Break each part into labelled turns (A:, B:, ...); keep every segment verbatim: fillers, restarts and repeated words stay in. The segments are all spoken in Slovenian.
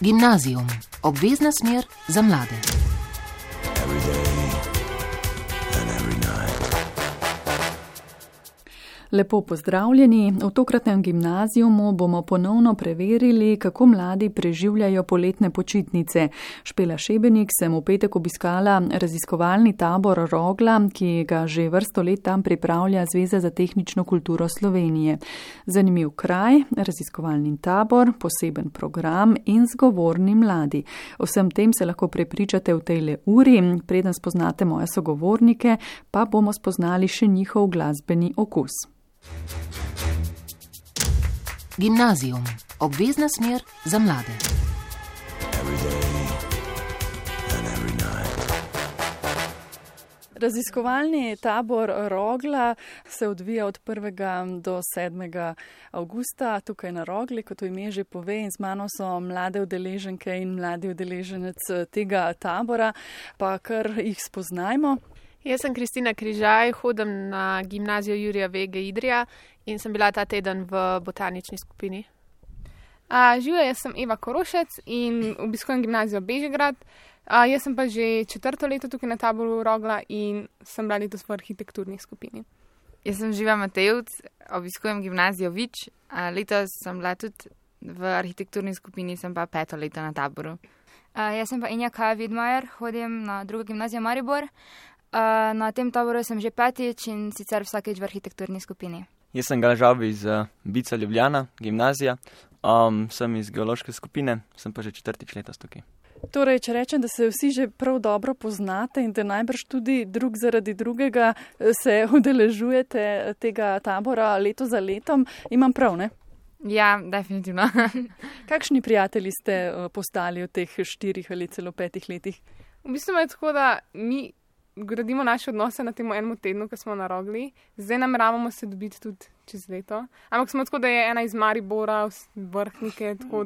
A: Gimnazijum, obvezna smer za mlade.
B: Lepo pozdravljeni. V tokratnem gimnazijumu bomo ponovno preverili, kako mladi preživljajo poletne počitnice. Špela Šebenik sem v petek obiskala raziskovalni tabor Rogla, ki ga že vrsto let tam pripravlja Zveza za tehnično kulturo Slovenije. Zanimiv kraj, raziskovalni tabor, poseben program in zgovorni mladi. O vsem tem se lahko prepričate v tejle uri. Preden spoznate moje sogovornike, pa bomo spoznali še njihov glasbeni okus.
A: Gimnazijum, obvezna smer za mlade.
B: Raziskovalni tabor Rogla se odvija od prvega do sedmega avgusta tukaj na Rogli, kot to ime že pove, in z mano so mlade udeleženke in mladi udeleženec tega tabora, pa kar jih spoznajmo.
C: Jaz sem Kristina Križaj, hodim na gimnazijo Jurija Vege Idrija in sem bila ta teden v botanični skupini.
D: Živijo, jaz sem Eva Korošec in obiskujem gimnazijo Bežigrad. A, jaz sem pa že četrto leto tukaj na taboru Rogla in sem bila letos v arhitekturni skupini.
E: Jaz sem Živa Matejevc, obiskujem gimnazijo Vič. A, letos sem bila tudi v arhitekturni skupini, sem pa peto leto na taboru.
F: A, jaz sem pa Inja Kaja Vidmajer, hodim na drugo gimnazijo Maribor. Uh, na tem taboru sem že petič in sicer vsakeč v arhitekturni skupini.
G: Jaz sem Galžabi iz uh, Bica Ljubljana, gimnazija. Um, sem iz geološke skupine, sem pa že četrtič letos tukaj.
B: Torej, če rečem, da se vsi že prav dobro poznate in da najbrž tudi drug zaradi drugega se udeležujete tega tabora leto za letom, imam prav, ne?
E: Ja, definitivno.
B: Kakšni prijatelji ste uh, postali v teh štirih ali celo petih letih?
D: V bistvu je tako, da mi gradimo naše odnose na tem enem tednu, ko smo na Rogli. Zdaj nameravamo se dobiti tudi čez leto. Ampak smo tako, da je ena iz Maribora, vrhnike, tako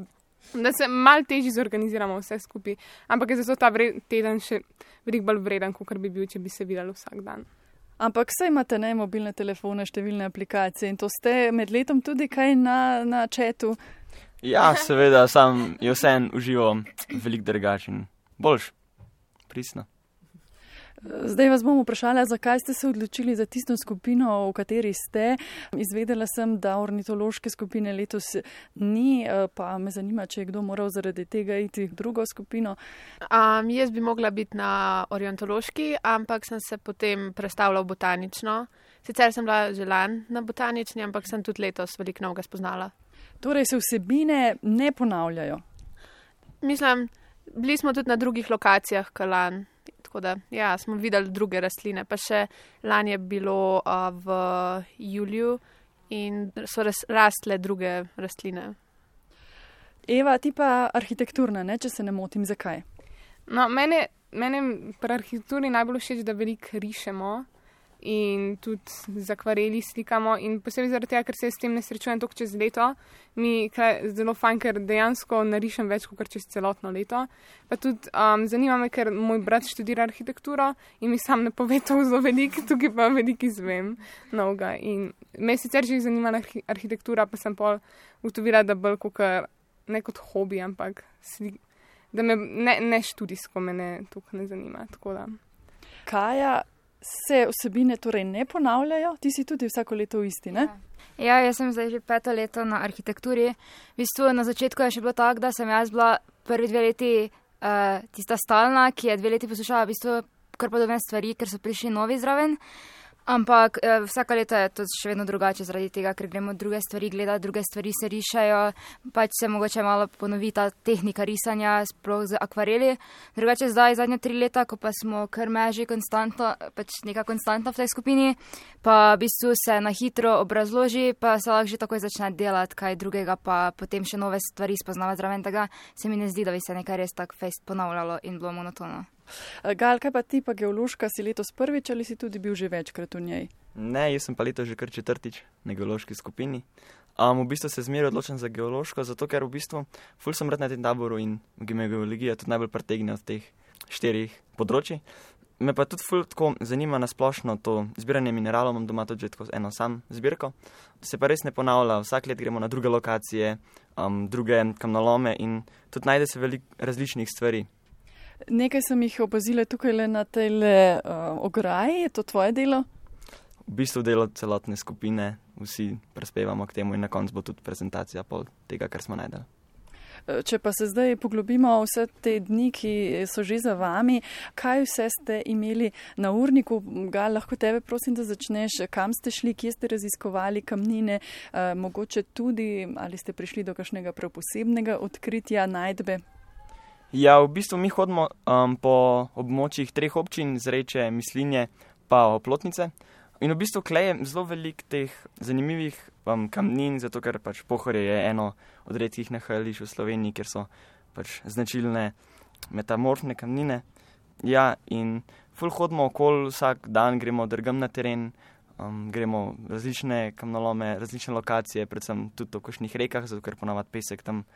D: da se malo težje zorganiziramo vse skupaj. Ampak je zato ta vred, teden še veliko bolj vreden, kot bi bil, če bi se videli vsak dan.
B: Ampak saj imate ne mobilne telefone, številne aplikacije in to ste med letom tudi kaj na, na chatu?
G: Ja, seveda, sam je vseeno užival veliko drugačen. Boljš, pristno.
B: Zdaj vas bom vprašala, zakaj ste se odločili za tisto skupino, v kateri ste. Izvedela sem, da ornitološke skupine letos ni, pa me zanima, če je kdo moral zaradi tega iti v drugo skupino.
C: Um, jaz bi mogla biti na ornitološki, ampak sem se potem prestavila v botanično. Sicer sem bila že lani na botanični, ampak sem tudi letos veliko novega spoznala.
B: Torej se vsebine ne ponavljajo?
C: Mislim, bili smo tudi na drugih lokacijah kot lani. Tako da, ja, smo videli druge rastline, pa še lani je bilo uh, v juliju in so res, rastle druge rastline.
B: Eva, ti pa arhitekturna, ne, če se ne motim, zakaj?
D: No, mene, mene pri arhitekturi najbolj všeč, da veliko rišemo in tudi z akvareli slikamo in posebej zaradi tega, ker se s tem ne srečujem toliko čez leto, mi je zelo fajn, ker dejansko narišem več kot čez celotno leto. Pa tudi um, zanima me, ker moj brat študira arhitekturo in mi sam ne pove to zelo veliko, tukaj pa veliko izvem novega. In me sicer že zanima arhitektura, pa sem pol ugotovila, da bolj kot ne kot hobi, ampak slik, da me ne, ne študijsko me ne tukaj ne zanima. Tako da.
B: Kaja, se vsebine torej ne ponavljajo? Ti si tudi vsako leto v isti, ne?
F: Ja, jaz sem zdaj že peto leto na arhitekturi. V bistvu na začetku je še bilo tako, da sem jaz bila prvi dve leti uh, tista stalna, ki je dve leti poslušala v bistvu kar podobne stvari, ker so prišli novi zraven. Ampak eh, vsaka leta je to še vedno drugače zaradi tega, ker gremo druge stvari gledati, druge stvari se rišajo, pač se mogoče malo ponovi ta tehnika risanja, sploh z akvareli. Drugače zdaj zadnja tri leta, ko pa smo kar meži konstantno, pač neka konstantna v tej skupini, pa v bistvu se na hitro obrazloži, pa se lahko že takoj začne delati kaj drugega, pa potem še nove stvari spoznavati zraven tega, se mi ne zdi, da bi se nekaj res tako fejst ponavljalo in bilo monotono.
B: Gal, kaj pa ti pa geološka, si letos prvič ali si tudi bil že večkrat v njej?
G: Ne, jaz sem pa letos že kar četrtič na geološki skupini. Um, v bistvu se zmeraj odločam za geološko, zato ker v bistvu ful sem rad na tem taboru in geologija tudi najbolj pretegne od teh štirih področij. Me pa tudi ful tako zanima na splošno to zbiranje mineralov, imam doma tudi že tako eno sam zbirko. Se pa res ne ponavlja, vsak let gremo na druge lokacije, um, druge kamnolome in tudi najde se veliko različnih stvari.
B: Nekaj sem jih opazila tukaj le na tej uh, ograji, je to tvoje delo?
G: V bistvu delo celotne skupine, vsi prispevamo k temu in na koncu bo tudi prezentacija pol tega, kar smo najdeli.
B: Če pa se zdaj poglobimo vse te dni, ki so že za vami, kaj vse ste imeli na urniku? Gal, lahko tebe prosim, da začneš, kam ste šli, kje ste raziskovali kamnine, eh, mogoče tudi, ali ste prišli do kakšnega prav posebnega odkritja, najdbe?
G: Ja, v bistvu mi hodimo um, po območjih treh občin, Zreče, Mislinje pa Oplotnice. In v bistvu klej je zelo veliko teh zanimivih um, kamnin, zato ker pač Pohorje je eno od redkih nahajališč v Sloveniji, kjer so pač značilne metamorfne kamnine. Ja, in ful hodimo okoli, vsak dan gremo drgam na teren, um, gremo različne kamnolome, različne lokacije, predvsem tudi v kakšnih rekah, zato ker ponavadi pesek tam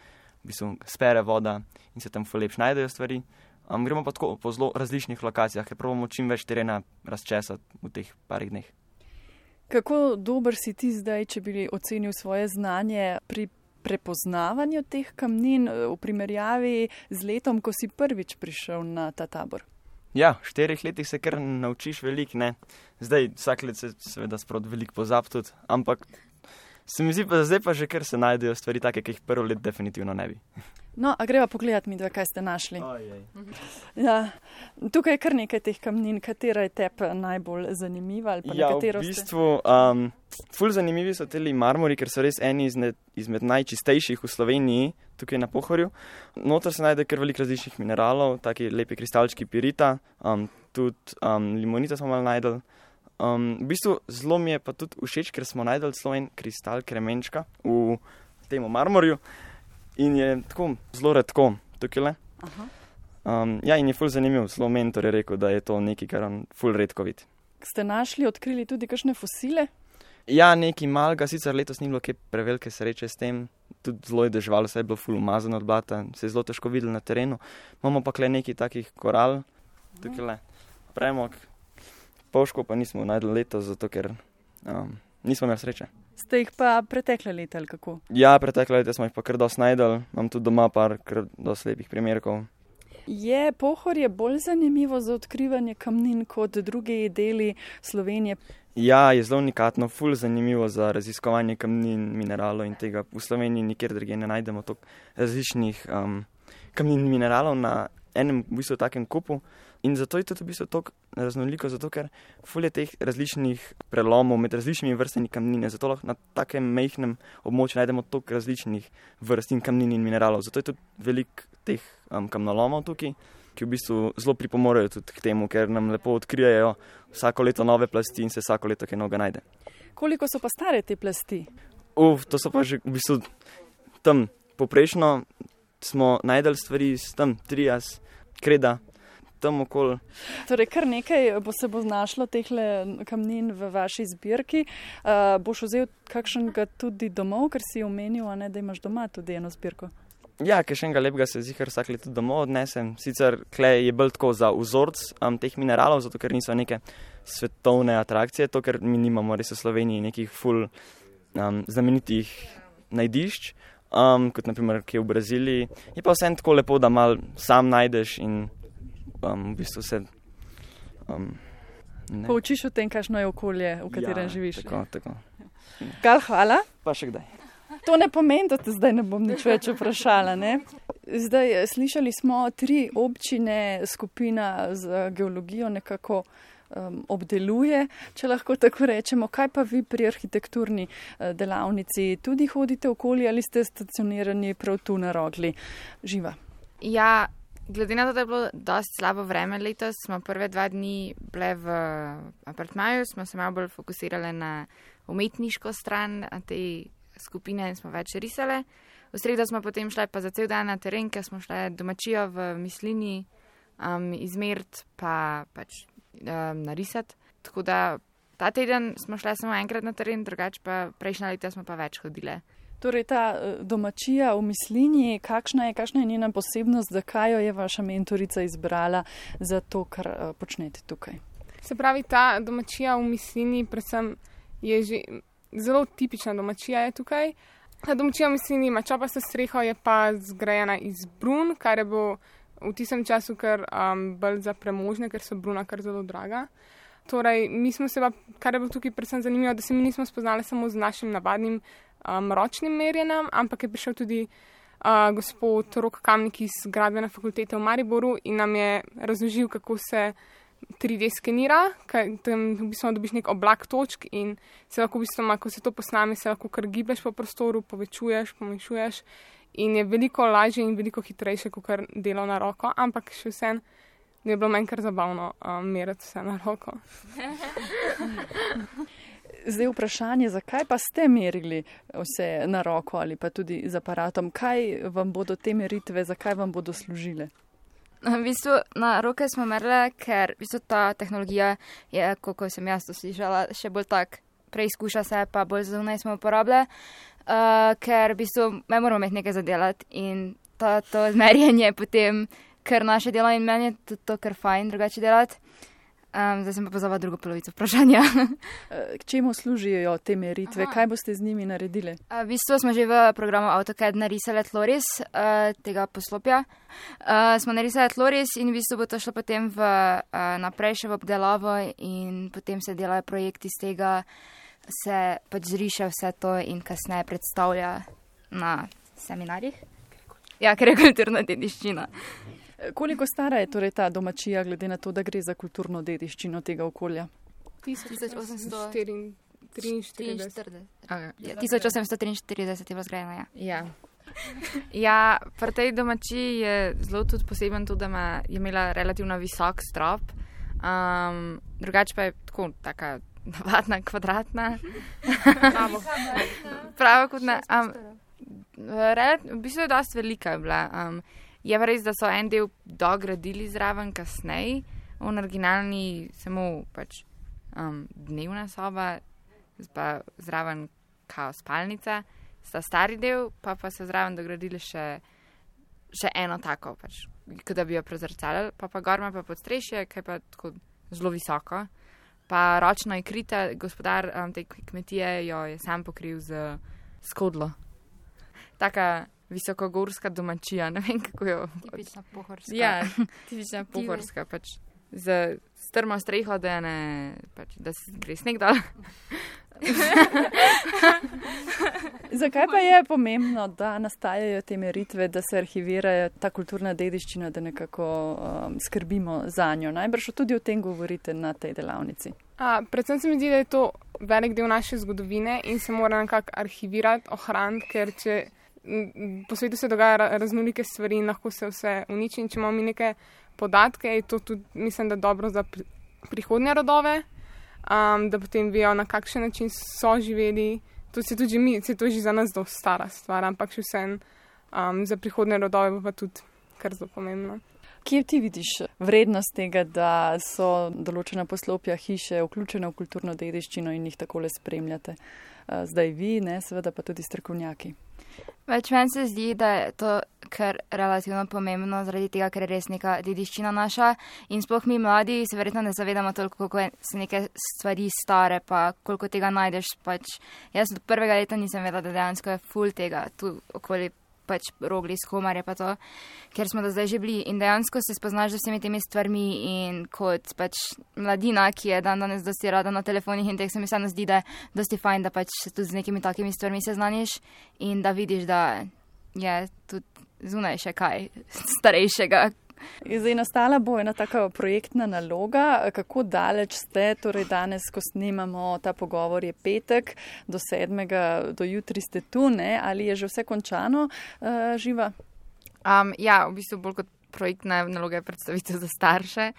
G: v bistvu spere voda in se tam ful lepš najdejo stvari. Um, gremo pa tako po zelo različnih lokacijah, ker probamo čim več terena razčesati v teh parih dneh.
B: Kako dober si ti zdaj, če bi ocenil svoje znanje pri prepoznavanju teh kamnin v primerjavi z letom, ko si prvič prišel na ta tabor?
G: Ja, v štirih letih se kar naučiš veliko, ne. Zdaj vsak let se seveda sprot veliko pozab tudi, ampak se mi zdi pa zdaj pa že kar se najdejo stvari take, ki jih prvo let definitivno ne bi.
B: No, a greva pogledat mi dva, kaj ste našli.
G: Ojej.
B: Ja, tukaj je kar nekaj teh kamnin, katera je tebi najbolj zanimiva ali pa
G: ja,
B: na katero
G: v bistvu, um, ful zanimivi so teli marmori, ker so res eni izmed, izmed najčistejših v Sloveniji, tukaj na Pohorju. Noter se najde kar veliko različnih mineralov, taki lepi kristalčki pirita, um, tudi um, limonita smo malo najdel. Um, v bistvu zelo mi je pa tudi všeč, ker smo najdel celo en kristal kremenčka v temu marmorju. In je tako zelo redko tukaj le. Um, ja, in je ful zanimiv. Zelo mentor je rekel, da je to nekaj, kar on ful redko vidi.
B: Ste našli, odkrili tudi kakšne fosile?
G: Ja, nekaj malega, sicer letos ni bilo kaj prevelike sreče s tem. Tudi zelo je deževalo, se je bilo ful umazano od blata, se je zelo težko videlo na terenu. Imamo pa kle nekaj takih koral, tukaj le premog. Povško pa nismo najdel letos, zato ker um, nismo imeli sreče.
B: Ste jih pa pretekle leta ali kako?
G: Ja, pretekle leta smo jih pa kar dosti najdel. Imam tudi doma par kar dosti lepih primerkov.
B: Je Pohorje bolj zanimivo za odkrivanje kamnin kot drugi deli Slovenije?
G: Ja, je zelo unikatno, ful zanimivo za raziskovanje kamnin, mineralov in tega. V Sloveniji nikjer drugje ne najdemo toliko različnih um, kamnin in mineralov na enem v bistvu takem kupu. In zato je tudi v bistvu toliko raznoliko, zato ker ful je teh različnih prelomov med različnimi vrstami kamnine, zato lahko na takem majhnem območju najdemo toliko različnih vrst in kamnin in mineralov. Zato je tudi veliko teh um, kamnolomov tukaj, ki v bistvu zelo pripomorejo tudi k temu, ker nam lepo odkrijajo vsako leto nove plasti in se vsako leto kaj novega najde.
B: Koliko so pa stare te plasti?
G: Uf, to so pa že v bistvu tam poprečno smo najdeli stvari s tam trias, kreda, tam okoli.
B: Torej, kar nekaj bo se bo znašlo tehle kamnin v vaši zbirki. Uh, boš vzel kakšnega tudi domov, ker si omenil, a ne, da imaš doma tudi eno zbirko?
G: Ja, kakšnega lepega se zihar vsak let tudi domov odnesem. Sicer klej je bolj tako za vzorc um, teh mineralov, zato ker niso neke svetovne atrakcije, to ker mi nimamo res v Sloveniji nekih ful um, znamenitih najdišč, um, kot naprimer kje v Braziliji. Je pa vsem tako lepo, da mal sam najdeš in Um, v bistvu se um,
B: poučiš o tem, kakšno je okolje, v katerem
G: ja,
B: živiš.
G: Tako, tako.
B: Gal, hvala.
G: Pa še kdaj.
B: To ne pomeni, da te zdaj ne bom nič več vprašala, ne? Zdaj, slišali smo tri občine, skupina z geologijo nekako um, obdeluje, če lahko tako rečemo. Kaj pa vi pri arhitekturni uh, delavnici? Tudi hodite okoli ali ste stacionirani prav tu na Rogli? Živa.
E: Ja, glede na to, da je bilo dosti slabo vreme letos, smo prve dva dni bile v apartmaju, smo se malo bolj fokusirali na umetniško stran te skupine in smo več risale. V sredo smo potem šli pa za cel dan na teren, ker smo šli domačijo v Mislini um, izmert pa pač um, narisati. Tako da ta teden smo šli samo enkrat na teren, drugače pa prejšnja leta smo pa več hodile.
B: Torej, ta domačija v Mislini, kakšna je, kakšna je njena posebnost, zakaj jo je vaša mentorica izbrala za to, kar uh, počnete tukaj?
D: Se pravi, ta domačija v Mislini predvsem je že zelo tipična domačija je tukaj. Ta domačija mislim nima, čopasta streha je pa zgrajena iz brun, kar je bilo v tistem času kar um, bolj za premožne, ker so bruna kar zelo draga. Torej, mi smo se pa, kar je bilo tukaj predvsem zanimivo, da se mi nismo spoznali samo z našim navadnim um, ročnim merjenjem, ampak je prišel tudi uh, gospod Rok Kamnik iz Gradbene fakultete v Mariboru in nam je razložil, kako se tri D skenira, tam v bistvu dobiš nek oblak točk in se lahko v bistvu, ko se to posname, se lahko kar giblješ po prostoru, povečuješ, pomešuješ in je veliko lažje in veliko hitrejše, kot kar delo na roko, ampak še vsem je bilo meni kar zabavno um, meriti vse na roko.
B: Zdaj vprašanje, zakaj pa ste merili vse na roko ali pa tudi z aparatom? Kaj vam bodo te meritve, zakaj vam bodo služile?
F: V bistvu na roke smo merili, ker v bistvu ta tehnologija je, kako sem jaz to slišala, še bolj tak preizkuša se, pa bolj zunaj smo uporabljali, uh, ker v bistvu me moramo imeti nekaj zadelati in to, to merjenje potem, ker naše delo in meni je tudi to kar fajn drugače delati. Um, zdaj sem pa pozvala drugo polovico vprašanja.
B: K čemu služijo te meritve? Aha. Kaj boste z njimi naredili?
F: Uh, v bistvu smo že v programu AutoCAD narisali tloris uh, tega poslopja. Uh, smo narisali tloris in v bistvu bo to šlo potem v, uh, naprej še v obdelavo in potem se delajo projekti z tega, se pač zriše vse to in kasneje predstavlja na seminarjih. Ja, ker je kulturna dediščina.
B: Koliko stara je torej ta domačija, glede na to, da gre za kulturno dediščino tega okolja?
F: tisoč osemsto
D: triinštirideset
F: tisoč osemsto triinštirideset je bila zgrajena, ja.
E: Ja. Ja, pri tej domačiji je zelo tudi poseben to, da ima, je imela relativno visok strop, um, drugače pa je tako taka navadna, kvadratna. Prava kot na... Um, v bistvu je dosti velika je bila. Um, Je pa res, da so en del dogradili zraven kasneje, on originalni samo pač um, dnevna soba, pa zraven kao spalnica, sta stari del, pa pa so zraven dogradili še, še eno tako, pač, kot da bi jo prezrcali, pa pa gorma pa podstrešje, ki je pa tako zelo visoko, pa ročno je krita, gospodar um, te kmetije jo je sam pokril z skodlo. Taka visokogorska domačija, ne vem, kako jo...
F: Tipična pohorska.
E: Ja, tipična pohorska, pač z strmo streho, da, ne, pač, da se gre sneg dol.
B: Zakaj pa je pomembno, da nastajajo te meritve, da se arhivirajo ta kulturna dediščina, da nekako um, skrbimo za njo? Najbrž tudi o tem govorite na tej delavnici.
D: A, predvsem se mi zdi, da je to velik del naše zgodovine in se mora nekako arhivirati, ohraniti, ker če po svetu se dogaja raznolike stvari in lahko se vse uniči in če imamo mi neke podatke, je to tudi, mislim, da dobro za pri, prihodnje rodove, um, da potem vejo, na kakšen način so živeli. To se tudi mi, se to že za nas dosti stara stvar, ampak še vsem um, za prihodnje rodove bo pa tudi kar zelo pomembno.
B: Kje ti vidiš vrednost tega, da so določena poslopja hiše vključene v kulturno dediščino in jih takole spremljate? Zdaj vi, ne, seveda pa tudi strokovnjaki.
F: Več meni se zdi, da je to kar relativno pomembno, zaradi tega, ker je res neka dediščina naša in sploh mi mladi se verjetno ne zavedamo toliko, koliko so neke stvari stare, pa koliko tega najdeš. Pač, jaz do prvega leta nisem vedela, da dejansko je ful tega tu okoli pač Rogli, Skomarje pa to, ker smo do zdaj že bili in dejansko se spoznaš z vsemi temi stvarmi in kot pač mladina, ki je dan danes dosti rada na telefonih in teh se mi samo zdi, da je dosti fajn, da pač se tudi z nekimi takimi stvarmi seznaniš in da vidiš, da je tudi zunaj še kaj starejšega.
B: Zdaj nastala bo ena taka projektna naloga. Kako daleč ste, torej danes, ko snemamo ta pogovor, je petek, do sedmega, do jutri ste tu, ne? Ali je že vse končano, uh, Živa?
E: Um, ja, v bistvu bolj kot projektna naloga je predstavitev za starše.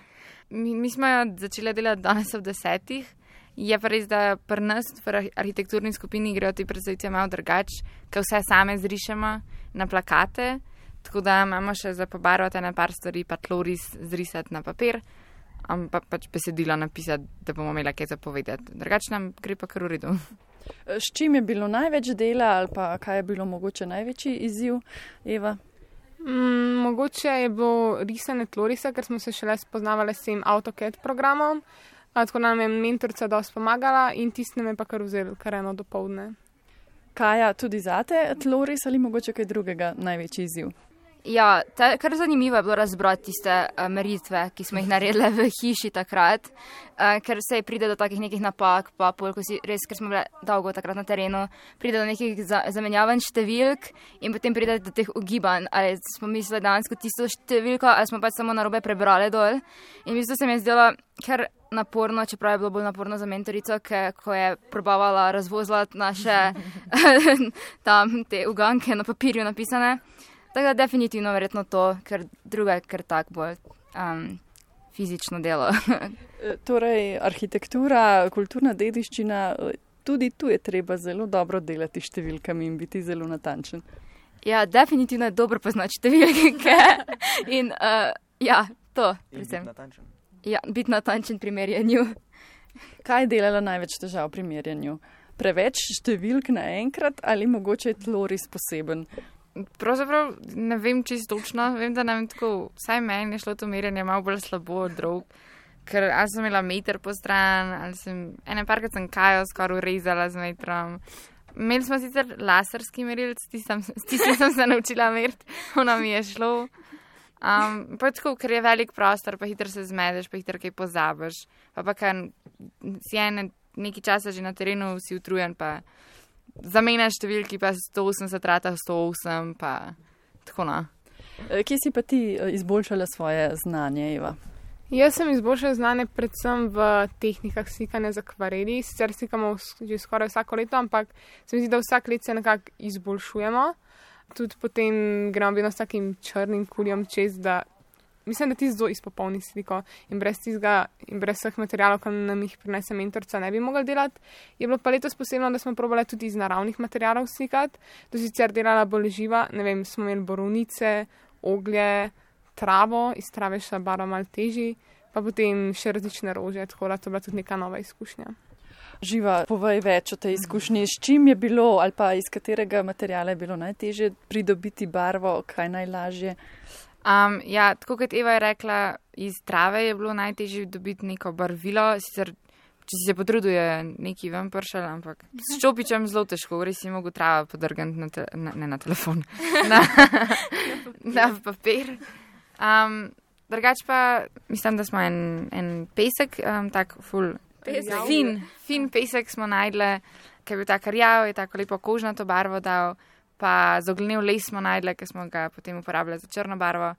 E: Mi, mi smo jo začeli delati danes ob desetih. Je pa res, da pri nas v arhitekturni skupini grejo te predstavitve malo drugače, ker vse same zrišemo na plakate. Tako da imamo še za pobarvati na par stvari, pa tloris zrisati na papir, pa pač besedilo napisati, da bomo imeli kaj zapovedati. Drugače nam gre pa kar v redu.
B: S čim je bilo največ dela ali pa kaj je bilo mogoče največji izziv, Eva?
D: Mm, mogoče je bilo risanje tlorisa, ker smo se šele spoznavali s tem AutoCAD programom, tako nam je mentorica dosti pomagala in tisti nam je pa kar vzel kar eno dopoldne.
B: Kaja, tudi zate tloris ali mogoče kaj drugega največji izziv?
F: Ja, ta, kar zanimivo je bilo razbrati tiste uh, meritve, ki smo jih naredili v hiši takrat, uh, ker se pride do takih nekih napak, pa pol, ko si res, ker smo bili dolgo takrat na terenu, pride do nekih za, zamenjavanj številk in potem pride do teh ugibanj, ali smo mislili dejansko tisto številko, ali smo pač samo narobe prebrali dol. In v bistvu se mi je zdelo kar naporno, čeprav je bilo bolj naporno za mentorico, ke, ko je probavala razvozlati naše tam te uganke na papirju napisane. Tako da definitivno verjetno to, ker druga je kar tak bolj um, fizično delo.
B: Torej, arhitektura, kulturna dediščina, tudi tu je treba zelo dobro delati številkami in biti zelo natančen.
F: Ja, definitivno je dobro poznati številke in uh, ja, to.
G: In biti natančen.
F: Ja, biti natančen pri merjenju.
B: Kaj je delala največ težav pri merjenju? Preveč številk naenkrat ali mogoče je tloris poseben?
E: Pravzaprav ne vem čisto točno, vem, da nam tako, vsaj meni je šlo to merjenje malo bolj slabo od drug, ker ali sem imela meter po stran, ali sem, ene parkrat sem Kajo skoraj urezala z metrom. Imeli smo sicer laserski merilc, s tistim sem se naučila meriti, ono mi je šlo. Um, pa tako, ker je velik prostor, pa hitro se zmedeš, pa hitro kaj pozabiš, pa pa kar si ene nekaj časa že na terenu, si utrujen, pa zamenjaš številki, pa sto osemdeset rata sto osem, pa tako na.
B: Kje si pa ti izboljšala svoje znanje, Eva?
D: Jaz sem izboljšala znanje predvsem v tehnikah slikanja z akvareli. Sicer slikamo že skoraj vsako leto, ampak se mi zdi, da vsak let se nekako izboljšujemo. Tudi potem gremo vedno s takim črnim kuljem čez, da mislim, da ti zelo izpopolni sliko in brez tizga in brez vseh materialov, ki nam jih prinese mentorica, ne bi mogli delati. Je bilo pa letos posebno, da smo probali tudi iz naravnih materialov slikati. To sicer delala bolj živa, ne vem, smo imeli borovnice, oglje, travo, iz trave še barva malo težji, pa potem še različne rože, tako da to bila tudi neka nova izkušnja.
B: Živa, povej več o tej izkušnji, s čim je bilo ali pa iz katerega materiala je bilo najtežje pridobiti barvo, kaj najlažje?
E: Um, ja, tako kot Eva je rekla, iz trave je bilo najtežje dobiti neko barvilo, sicer, če si se potrudil, je neki ven pršal, ampak s čopičem zelo težko, res si mogel trava podrgati na, te, na, ne na telefon, na, na papir. Um, drugač pa, mislim, da smo en, en pesek, um, tak ful, pesek. fin, fin pesek smo najdli, ki je bil tak rjav, je tako lepo kožnato barvo dal. Pa zoglenev les smo najdli, ki smo ga potem uporabljali za črno barvo.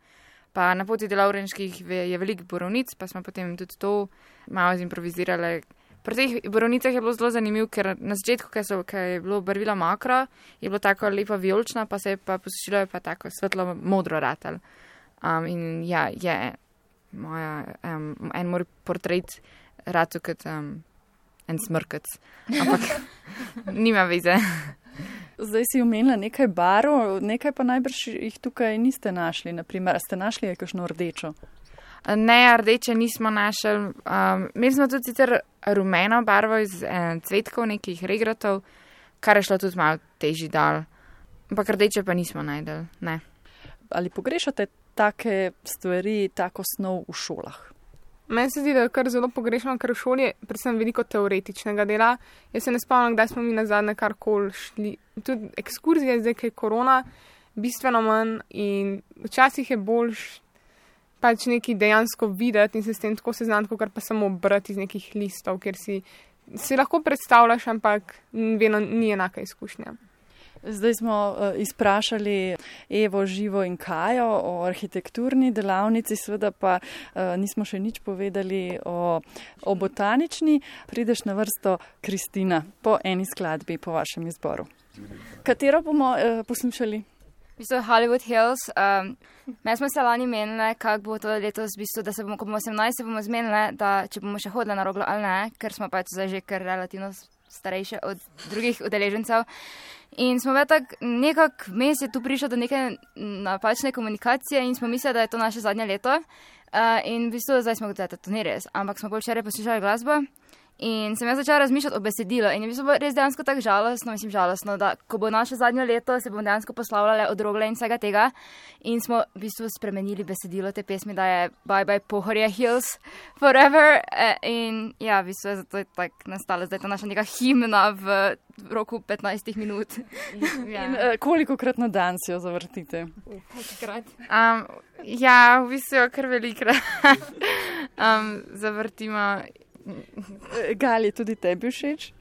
E: Pa na poti do Lovrenških je veliko borovnic, pa smo potem tudi to malo zimprovizirali. Pri teh borovnicah je bilo zelo zanimivo, ker na začetku, ko je bilo barvilo mokro, je bilo tako lepo vijolično, pa se je pa posušilo, je pa tako svetlo modro ratal. Um, in ja, je moja, um, en moj portret ratu kot um, en smrkec. Ampak nima veze.
B: Zdaj si omenila nekaj barv, nekaj pa najbrž jih tukaj niste našli. Naprimer, ste našli kakšno rdečo?
E: Ne, rdeče nismo našli. Um, imeli smo tudi sicer rumeno barvo iz eh, cvetkov, nekih regratov, kar je šlo tudi malo težji dal. Ampak rdeče pa nismo najdeli, ne.
B: Ali pogrešate take stvari, tako snov v šolah?
D: Meni se zdi, da je kar zelo pogrešano, ker v šoli je predvsem veliko teoretičnega dela. Jaz se ne spomnim, kdaj smo mi nazadnje karkoli šli. Tudi ekskurzije, zdaj, ki je korona, bistveno manj in včasih je boljš pač nekaj dejansko videti in se s tem tako seznaniti, kot pa samo brati iz nekih listov, ker si, si lahko predstavljaš, ampak vedno ni enaka izkušnja.
B: Zdaj smo uh, izprašali Evo, Živo in Kajo o arhitekturni delavnici, seveda pa uh, nismo še nič povedali o, o botanični. Prideš na vrsto Kristina po eni skladbi po vašem izboru. Katero bomo uh, poslušali?
F: V bistvu Hollywood Hills. Um, Me smo se lani menili, kako bo to letos, v bistvu, da se bomo, ko bomo osemnajst, se bomo zmenili, da če bomo še hodili na Roglo ali ne, ker smo pač zdaj že kar relativno starejše od drugih udeležencev. In smo ve tak, nekako vmes je tu prišlo do neke napačne komunikacije in smo mislili, da je to naše zadnje leto. Uh, in v bistvu zdaj smo gotovili, da to ni res. Ampak smo bolj včeraj poslušali glasbo In sem jaz začela razmišljati o besedilu in je bilo res dejansko tako žalostno, mislim žalostno, da ko bo naše zadnje leto, se bomo dejansko poslavljali od Rogle in vsega tega in smo v bistvu spremenili besedilo te pesmi, da je Bye Bye Pohorje Hills Forever in ja, v bistvu je zato je tako nastala zdaj ta naša neka himna v roku petnajstih minut.
B: Ja. In uh, kolikokrat na dan si jo zavrtite?
E: Um, ja, v bistvu jo kar velikrat um, zavrtimo.
B: Gali, tudi tebi všeč?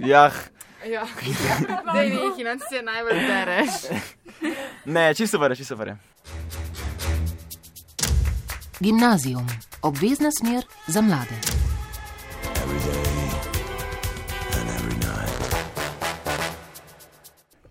G: Jah.
E: Ja. Dej mi jih in se najbolj bereš.
G: Ne, čisto super, čisto super.
A: Gimnazijum. Obvezna smer za mlade.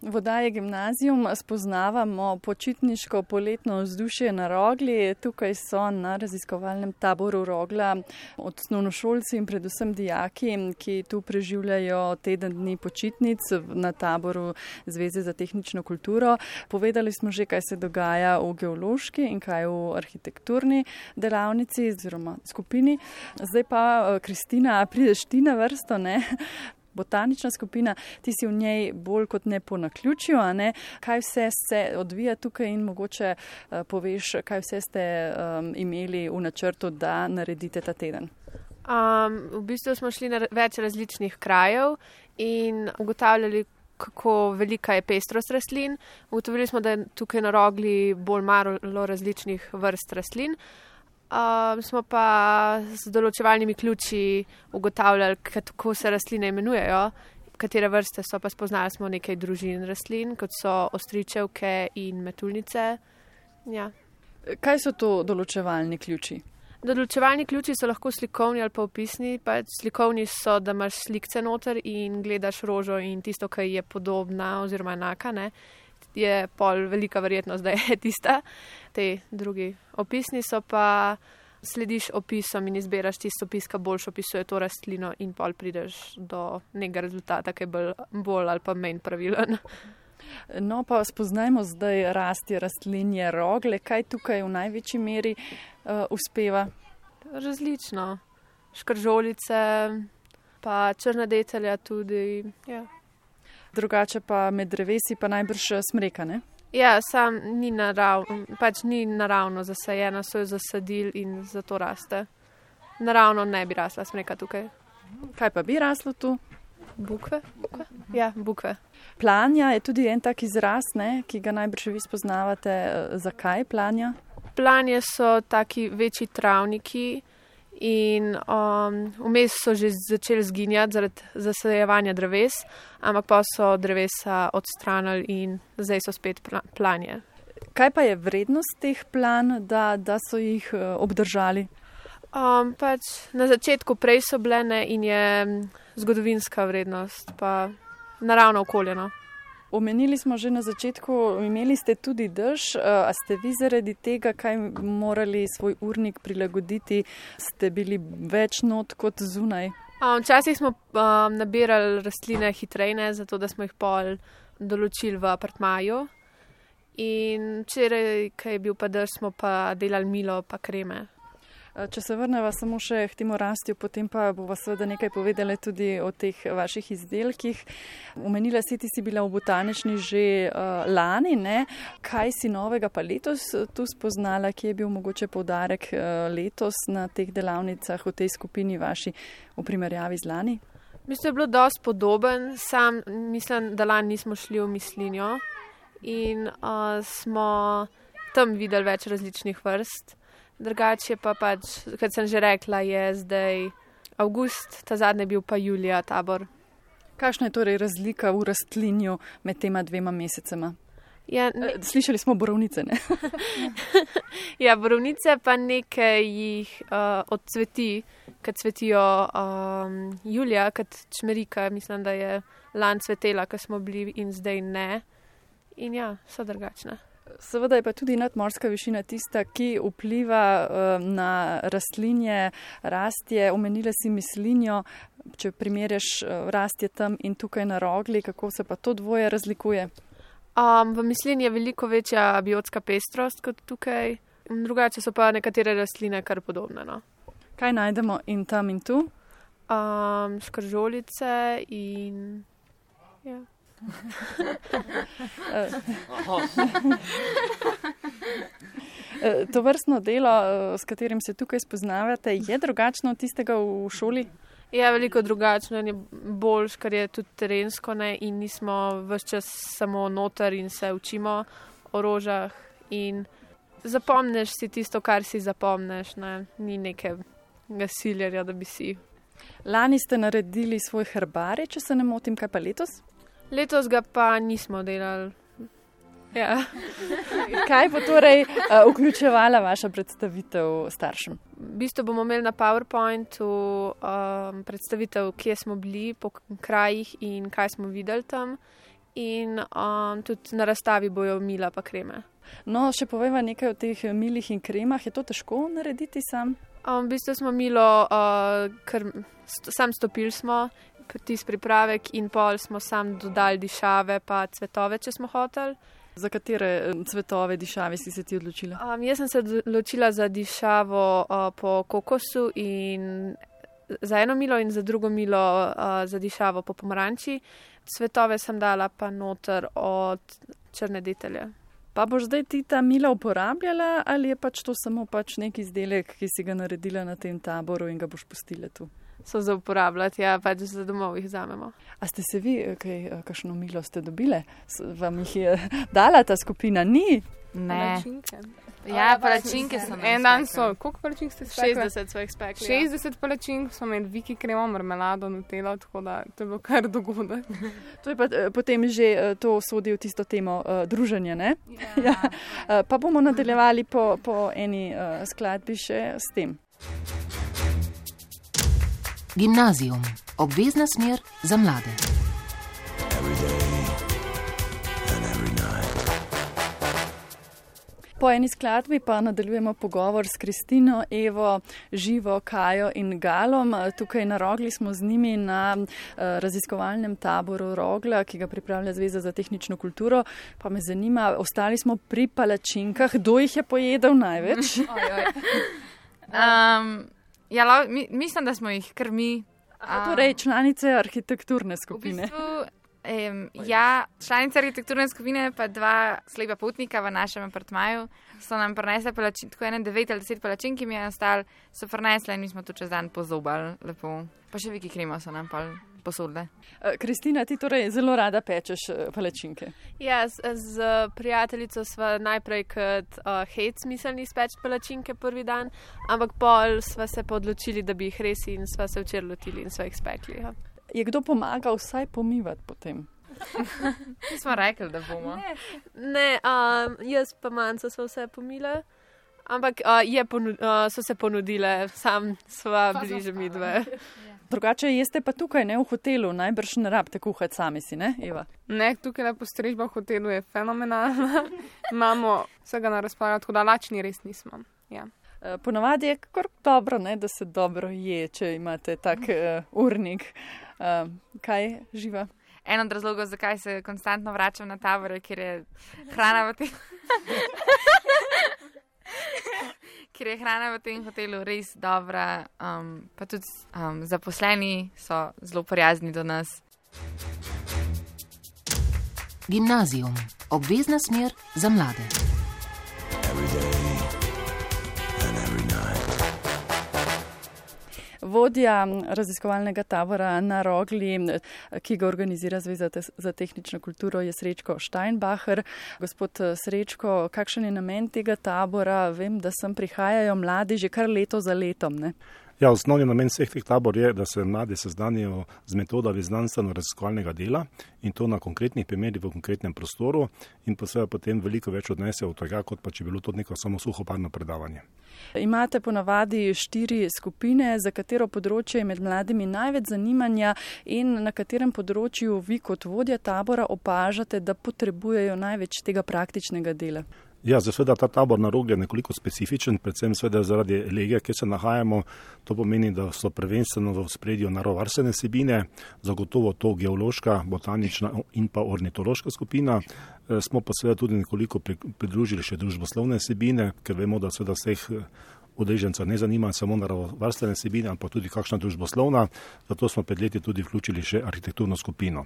B: V oddaji Gimnazijum spoznavamo počitniško poletno vzdušje na Rogli. Tukaj so na raziskovalnem taboru Rogla osnovnošolci in predvsem dijaki, ki tu preživljajo teden dni počitnic na taboru Zveze za tehnično kulturo. Povedali smo že, kaj se dogaja v geološki in kaj v arhitekturni delavnici oziroma skupini. Zdaj pa, Kristina, prideš ti na vrsto, ne? Botanična skupina, ti si v njej bolj kot ne po naključju, a ne? Kaj vse se odvija tukaj in mogoče uh, poveš, kaj vse ste um, imeli v načrtu, da naredite ta teden?
C: Um, v bistvu smo šli na več različnih krajev in ugotavljali, kako velika je pestrost rastlin. Ugotovili smo, da je tukaj na Rogli bolj malo različnih vrst rastlin. Um, smo pa z določevalnimi ključi ugotavljali, kako se rastline imenujejo, katere vrste so, pa spoznali smo nekaj družin rastlin, kot so ostričevke in metuljnice. Ja.
B: Kaj so to določevalni ključi?
C: Določevalni ključi so lahko slikovni ali pa opisni. Pač slikovni so, da imaš slikce noter in gledaš rožo in tisto, ki je podobna oziroma enaka, ne? Je pol velika verjetnost, da je tista. Te drugi opisni so pa, slediš opisom in izberaš tisto opis, ki boljš opisuje to rastlino in pol prideš do nekega rezultata, ki je bolj, bolj ali pa manj pravilen.
B: No pa spoznajmo zdaj rasti rastlinje Rogle. Kaj tukaj v največji meri uh, uspeva?
C: Različno. Škržolice, pa črna detelja tudi, ja.
B: Drugače pa med drevesi pa najbrž smreka, ne?
C: Ja, sam ni naravno, pač ni naravno zasajena, so jo zasadili in zato raste. Naravno ne bi rasla smreka tukaj.
B: Kaj pa bi raslo tu?
C: Bukve? Bukve? Ja, bukve.
B: Planja je tudi en tak izraz, ne, ki ga najbrž vi spoznavate. Zakaj planja?
C: Planje so taki večji travniki in um, vmes so že začeli zginjati zaradi zasajevanja dreves, ampak pa so drevesa odstranili in zdaj so spet planje.
B: Kaj pa je vrednost teh plan, da, da so jih uh, obdržali?
C: Um, pač na začetku prej so bile ne, in je zgodovinska vrednost, pa naravno okoljeno.
B: Omenili smo že na začetku, imeli ste tudi dež, a ste vi zaradi tega, kaj morali svoj urnik prilagoditi, ste bili več not kot zunaj?
C: Um, včasih smo um, nabirali rastline hitreje, zato da smo jih pol določili v apartmaju. In včeraj, kaj je bil pa dež, smo pa delali milo pa kreme.
B: Če se vrneva samo še k temu rastju, potem pa bova seveda nekaj povedala tudi o teh vaših izdelkih. Omenila si, ti si bila v botanični že uh, lani, ne? Kaj si novega pa letos tu spoznala, kje je bil mogoče poudarek uh, letos na teh delavnicah v tej skupini vaši v primerjavi z lani?
C: Mislim, da je bilo dosti podoben, sam mislim, da lani nismo šli v Mislinjo in uh, smo tam videli več različnih vrst. Drugače pa pač, kot sem že rekla, je zdaj avgust, ta zadnji bil pa julija tabor.
B: Kakšna je torej razlika v rastlinju med tema dvema mesecema?
C: Ja, ne...
B: Slišali smo borovnice, ne?
C: Ja, borovnice pa nekaj jih uh, odcveti, kad cvetijo um, julija, kad čmerika, mislim, da je lan cvetela, ko smo bili in zdaj ne. In ja, so drugačne.
B: Seveda je pa tudi nadmorska višina tista, ki vpliva uh, na rastlinje, rastje. Omenila si Mislinjo, če primerjaš uh, rastje tam in tukaj na Rogli, kako se pa to dvoje razlikuje?
C: Um, v Mislinji je veliko večja biotska pestrost kot tukaj, drugače so pa nekatere rastline kar podobne. No.
B: Kaj najdemo in tam in tu?
C: Um, škržolice in ja.
B: To vrstno delo, s katerim se tukaj spoznavate, je drugačno od tistega v šoli?
C: Je veliko drugačno in je boljš, ker je tudi terensko, ne, in nismo ves čas samo noter in se učimo o rožah in zapomneš si tisto, kar si zapomneš, ne, ni nekega siljerja, da bi si.
B: Lani ste naredili svoj herbarij, če se ne motim, kaj pa letos?
C: Letos ga pa nismo delali. Ja.
B: Kaj bo torej uh, vključevala vaša predstavitev staršem?
C: V bistvu bomo imeli na PowerPointu um, predstavitev, kje smo bili po krajih in kaj smo videli tam. In um, tudi na razstavi bojo mila pa kreme.
B: No, še poveva nekaj o teh milih in kremah. Je to težko narediti sam?
C: Um, v bistvu smo milo, uh, kar st- sam stopili smo, tisti pripravek in pol smo sam dodali dišave pa cvetove, če smo hoteli.
B: Za katere cvetove dišave si se ti odločila?
C: Um, jaz sem se odločila za dišavo uh, po kokosu in za eno milo in za drugo milo uh, za dišavo po pomaranči. Cvetove sem dala pa noter od črne detelje. Pa boš zdaj ti ta mila uporabljala ali je pač to samo pač nek izdelek, ki si ga naredila na tem taboru in ga boš pustila tu? So za uporabljati, ja, pač za domov jih vzamemo. A ste se vi, kaj, kakšno milo ste dobile? Vam jih je dala ta skupina? Ni?
E: Ne.
D: Palačinke.
E: Ja, palačinke so.
D: En dan so, koliko palačink ste spekli?
C: šestdeset so jih spekli.
D: šestdeset palačink smo imeli viki kremo, marmelado, nutelo, tako da to je bilo kar dogodek.
B: To je pa potem že to sodi v tisto temo uh, druženja, ne? Ja. ja. Uh, pa bomo nadaljevali po, po eni uh, skladbi še s tem.
A: Gimnazijum. Obvezna smer za mlade.
B: Po eni skladbi pa nadaljujemo pogovor s Kristino, Evo, Živo, Kajo in Galom. Tukaj na Rogli smo z njimi na uh, raziskovalnem taboru Rogla, ki ga pripravlja Zveza za tehnično kulturo. Pa me zanima, ostali smo pri palačinkah. Kdo jih je pojedel največ?
E: oj, oj. Um, ja, la, mi, mislim, da smo jih kar mi.
B: A, torej, članice arhitekturne skupine.
E: V bistvu, Um, ja, članica arhitekturne skupine pa dva slepa potnika v našem apartmaju so nam prinesli palačink, tako ene devet ali deset palačink, ki mi je ostal, so prinesli in mi smo tu čez dan pozobali lepo. Pa še viki kremo so nam pa posodile.
B: Kristina, ti torej zelo rada pečeš palačinke.
C: Ja, z, z prijateljico sva najprej kot uh, hec mislili speči palačinke prvi dan, ampak pol sva se pa odločili, da bi jih res in sva se včeraj lotili in sva jih spekli. Ja.
B: Je kdo pomagal vsaj pomivati potem?
E: Mi smo rekli, da bomo.
C: Ne, ne um, jaz pa manjca sva vse pomile, ampak uh, je ponud, uh, so se ponudile, sam sva bliže mi dve.
B: Drugače jeste pa tukaj, ne v hotelu, najbrž ne rabite kuhati sami si, ne, Eva?
D: Ne, tukaj lepo strežba v hotelu je fenomenalna. Imamo vsega na razpolago, tako da lačni res nismo. Ja.
B: Ponavadi je kar dobro, ne, da se dobro je, če imate tak uh, urnik. Uh, kaj Živa?
E: En od razlogov, zakaj se konstantno vračam na tabore, ker je hrana v tem... ker je hrana v tem hotelu res dobra, um, pa tudi um, zaposleni so zelo prijazni do nas.
A: Gimnazijum. Obvezna smer za mlade.
B: Vodja raziskovalnega tabora na Rogli, ki ga organizira Zveza za tehnično kulturo, je Srečko Steinbacher. Gospod Srečko, kakšen je namen tega tabora? Vem, da sem prihajajo mladi že kar leto za letom, ne?
H: Ja, osnovni namen vseh teh tabor je, da se mladi seznanijo z metodami znanstveno-raziskovalnega dela in to na konkretnih primerih v konkretnem prostoru in pa seveda potem veliko več odnesejo od tega, kot pa če bilo to neko samo suhoparno predavanje.
B: Imate ponavadi štiri skupine, za katero področje je med mladimi največ zanimanja in na katerem področju vi kot vodja tabora opažate, da potrebujejo največ tega praktičnega dela?
H: Ja, seveda ta tabor na Rogli je nekoliko specifičen, predvsem seveda zaradi lege, kjer se nahajamo. To pomeni, da so prvenstveno v ospredju naravovarstvene vsebine, zagotovo to geološka, botanična in pa ornitološka skupina. Smo pa seveda tudi nekoliko pridružili še družboslovne vsebine, ker vemo, da seveda vseh udeleženca ne zanima samo naravovarstvene vsebine, ampak tudi kakšna družboslovna, zato smo pred leti tudi vključili še arhitekturno skupino.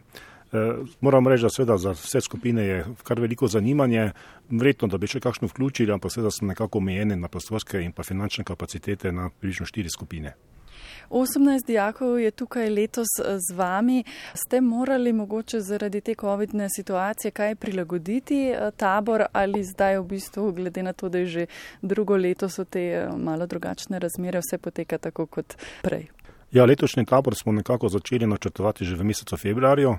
H: E, moram reči, da seveda za vse skupine je kar veliko zanimanje, verjetno, da bi še kakšno vključili, ampak seveda smo nekako omejeni na prostorske in pa finančne kapacitete na približno štiri skupine.
B: osemnajst dijakov je tukaj letos z vami. Ste morali mogoče zaradi te covidne situacije kaj prilagoditi tabor ali zdaj v bistvu, glede na to, da je že drugo leto, so te malo drugačne razmere, vse poteka tako kot prej?
H: Ja, letošnji tabor smo nekako začeli načrtovati že v mesecu februarju,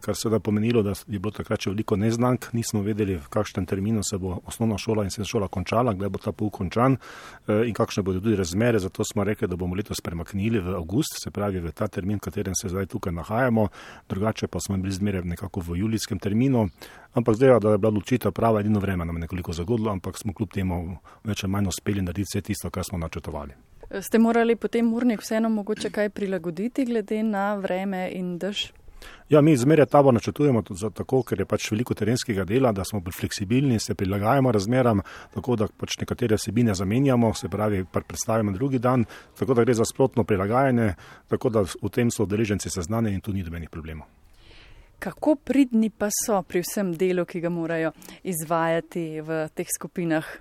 H: kar seveda pomenilo, da je bilo takrat še veliko neznank, nismo vedeli, v kakšnem terminu se bo osnovna šola in srednja šola končala, kdaj bo ta pouk končan in kakšne bodo tudi razmere, zato smo rekli, da bomo letos premaknili v avgust, se pravi v ta termin, v katerem se zdaj tukaj nahajamo, drugače pa smo bili zmeraj nekako v julijskem terminu, ampak zdaj, da je bila odločitev prava, edino vreme nam je nekoliko zagodilo, ampak smo kljub temu več ali manj uspeli narediti vse tisto, kar smo načrtovali.
B: Ste morali potem urnik vseeno mogoče kaj prilagoditi glede na vreme in dež?
H: Ja, mi zmeraj tabor načrtujemo tako, ker je pač veliko terenskega dela, da smo bolj fleksibilni, se prilagajamo razmeram, tako da pač nekatere vsebine zamenjamo, se pravi, predstavimo drugi dan, tako da gre za sprotno prilagajanje, tako da v tem so udeleženci seznanjeni in tu ni nobenih problemov.
B: Kako pridni pa so pri vsem delu, ki ga morajo izvajati v teh skupinah?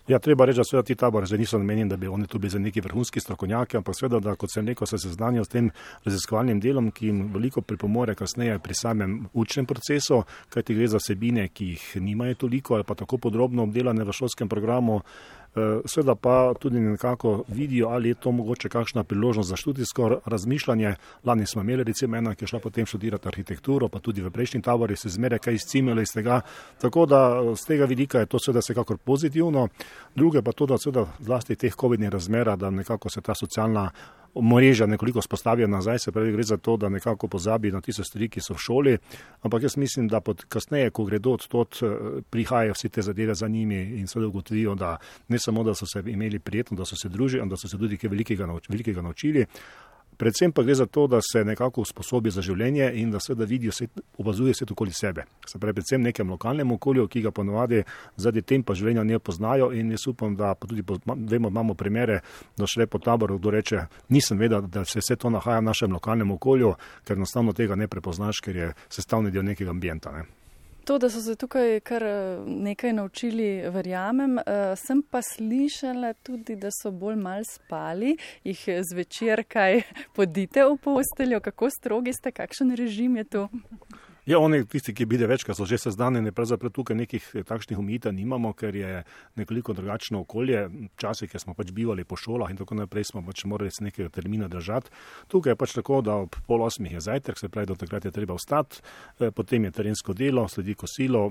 H: Ja, treba reči, da seveda ti tabori zdaj niso namenjeni, da bi oni tu bili za neki vrhunski strokovnjaki, ampak seveda, da kot sem rekel, se seznanijo s tem raziskovalnim delom, ki jim veliko pripomore kasneje pri samem učnem procesu, kajti gre za vsebine, ki jih nimajo toliko ali pa tako podrobno obdelane v šolskem programu. Seveda pa tudi nekako vidijo, ali je to mogoče kakšna priložnost za študijsko razmišljanje. Lani smo imeli recimo ena, ki je šla potem študirati arhitekturo, pa tudi v prejšnji tabori se zmeraj kaj izcimili iz tega. Tako da z tega vidika je to seveda vsekakor pozitivno. Druge pa to, da seveda zlasti teh covidnih razmera, da nekako se ta socialna mreža nekoliko spostavijo nazaj, se pravi, gre za to, da nekako pozabi na tiste stvari, ki so v šoli, ampak jaz mislim, da pod kasneje, ko gredo odtot, prihajajo vse te zadeve za njimi in seveda ugotovijo, da ne samo, da so se imeli prijetno, da so se družili, da so se tudi kaj velikega, velikega naučili. Predvsem pa gre za to, da se nekako usposobi za življenje in da seveda vidijo, opazuje svet okoli sebe. Se pravi, predvsem nekem lokalnem okolju, ki ga ponovadi zaradi tempa življenja ne poznajo in jaz upam, da pa tudi vemo, imamo primere, da šele po taboru, kdo reče, nisem vedel, da se vse to nahaja v našem lokalnem okolju, ker enostavno tega ne prepoznaš, ker je sestavni del nekega ambienta, ne.
B: To, da so se tukaj kar nekaj naučili, verjamem. Sem pa slišala tudi, da so bolj mal spali, jih zvečer kaj podite v posteljo, kako strogi ste, kakšen režim je to?
H: Ja, oni tisti, ki bide večkrat, so že seznanjeni, pravzaprav tukaj nekih takšnih omejitev nimamo, ker je nekoliko drugačno okolje. Včasih, ker smo pač bivali po šolah in tako naprej, smo pač morali se nekega termina držati. Tukaj je pač tako, da ob pol osmih je zajtrk, se pravi, do takrat je treba vstati, potem je terensko delo, sledi kosilo,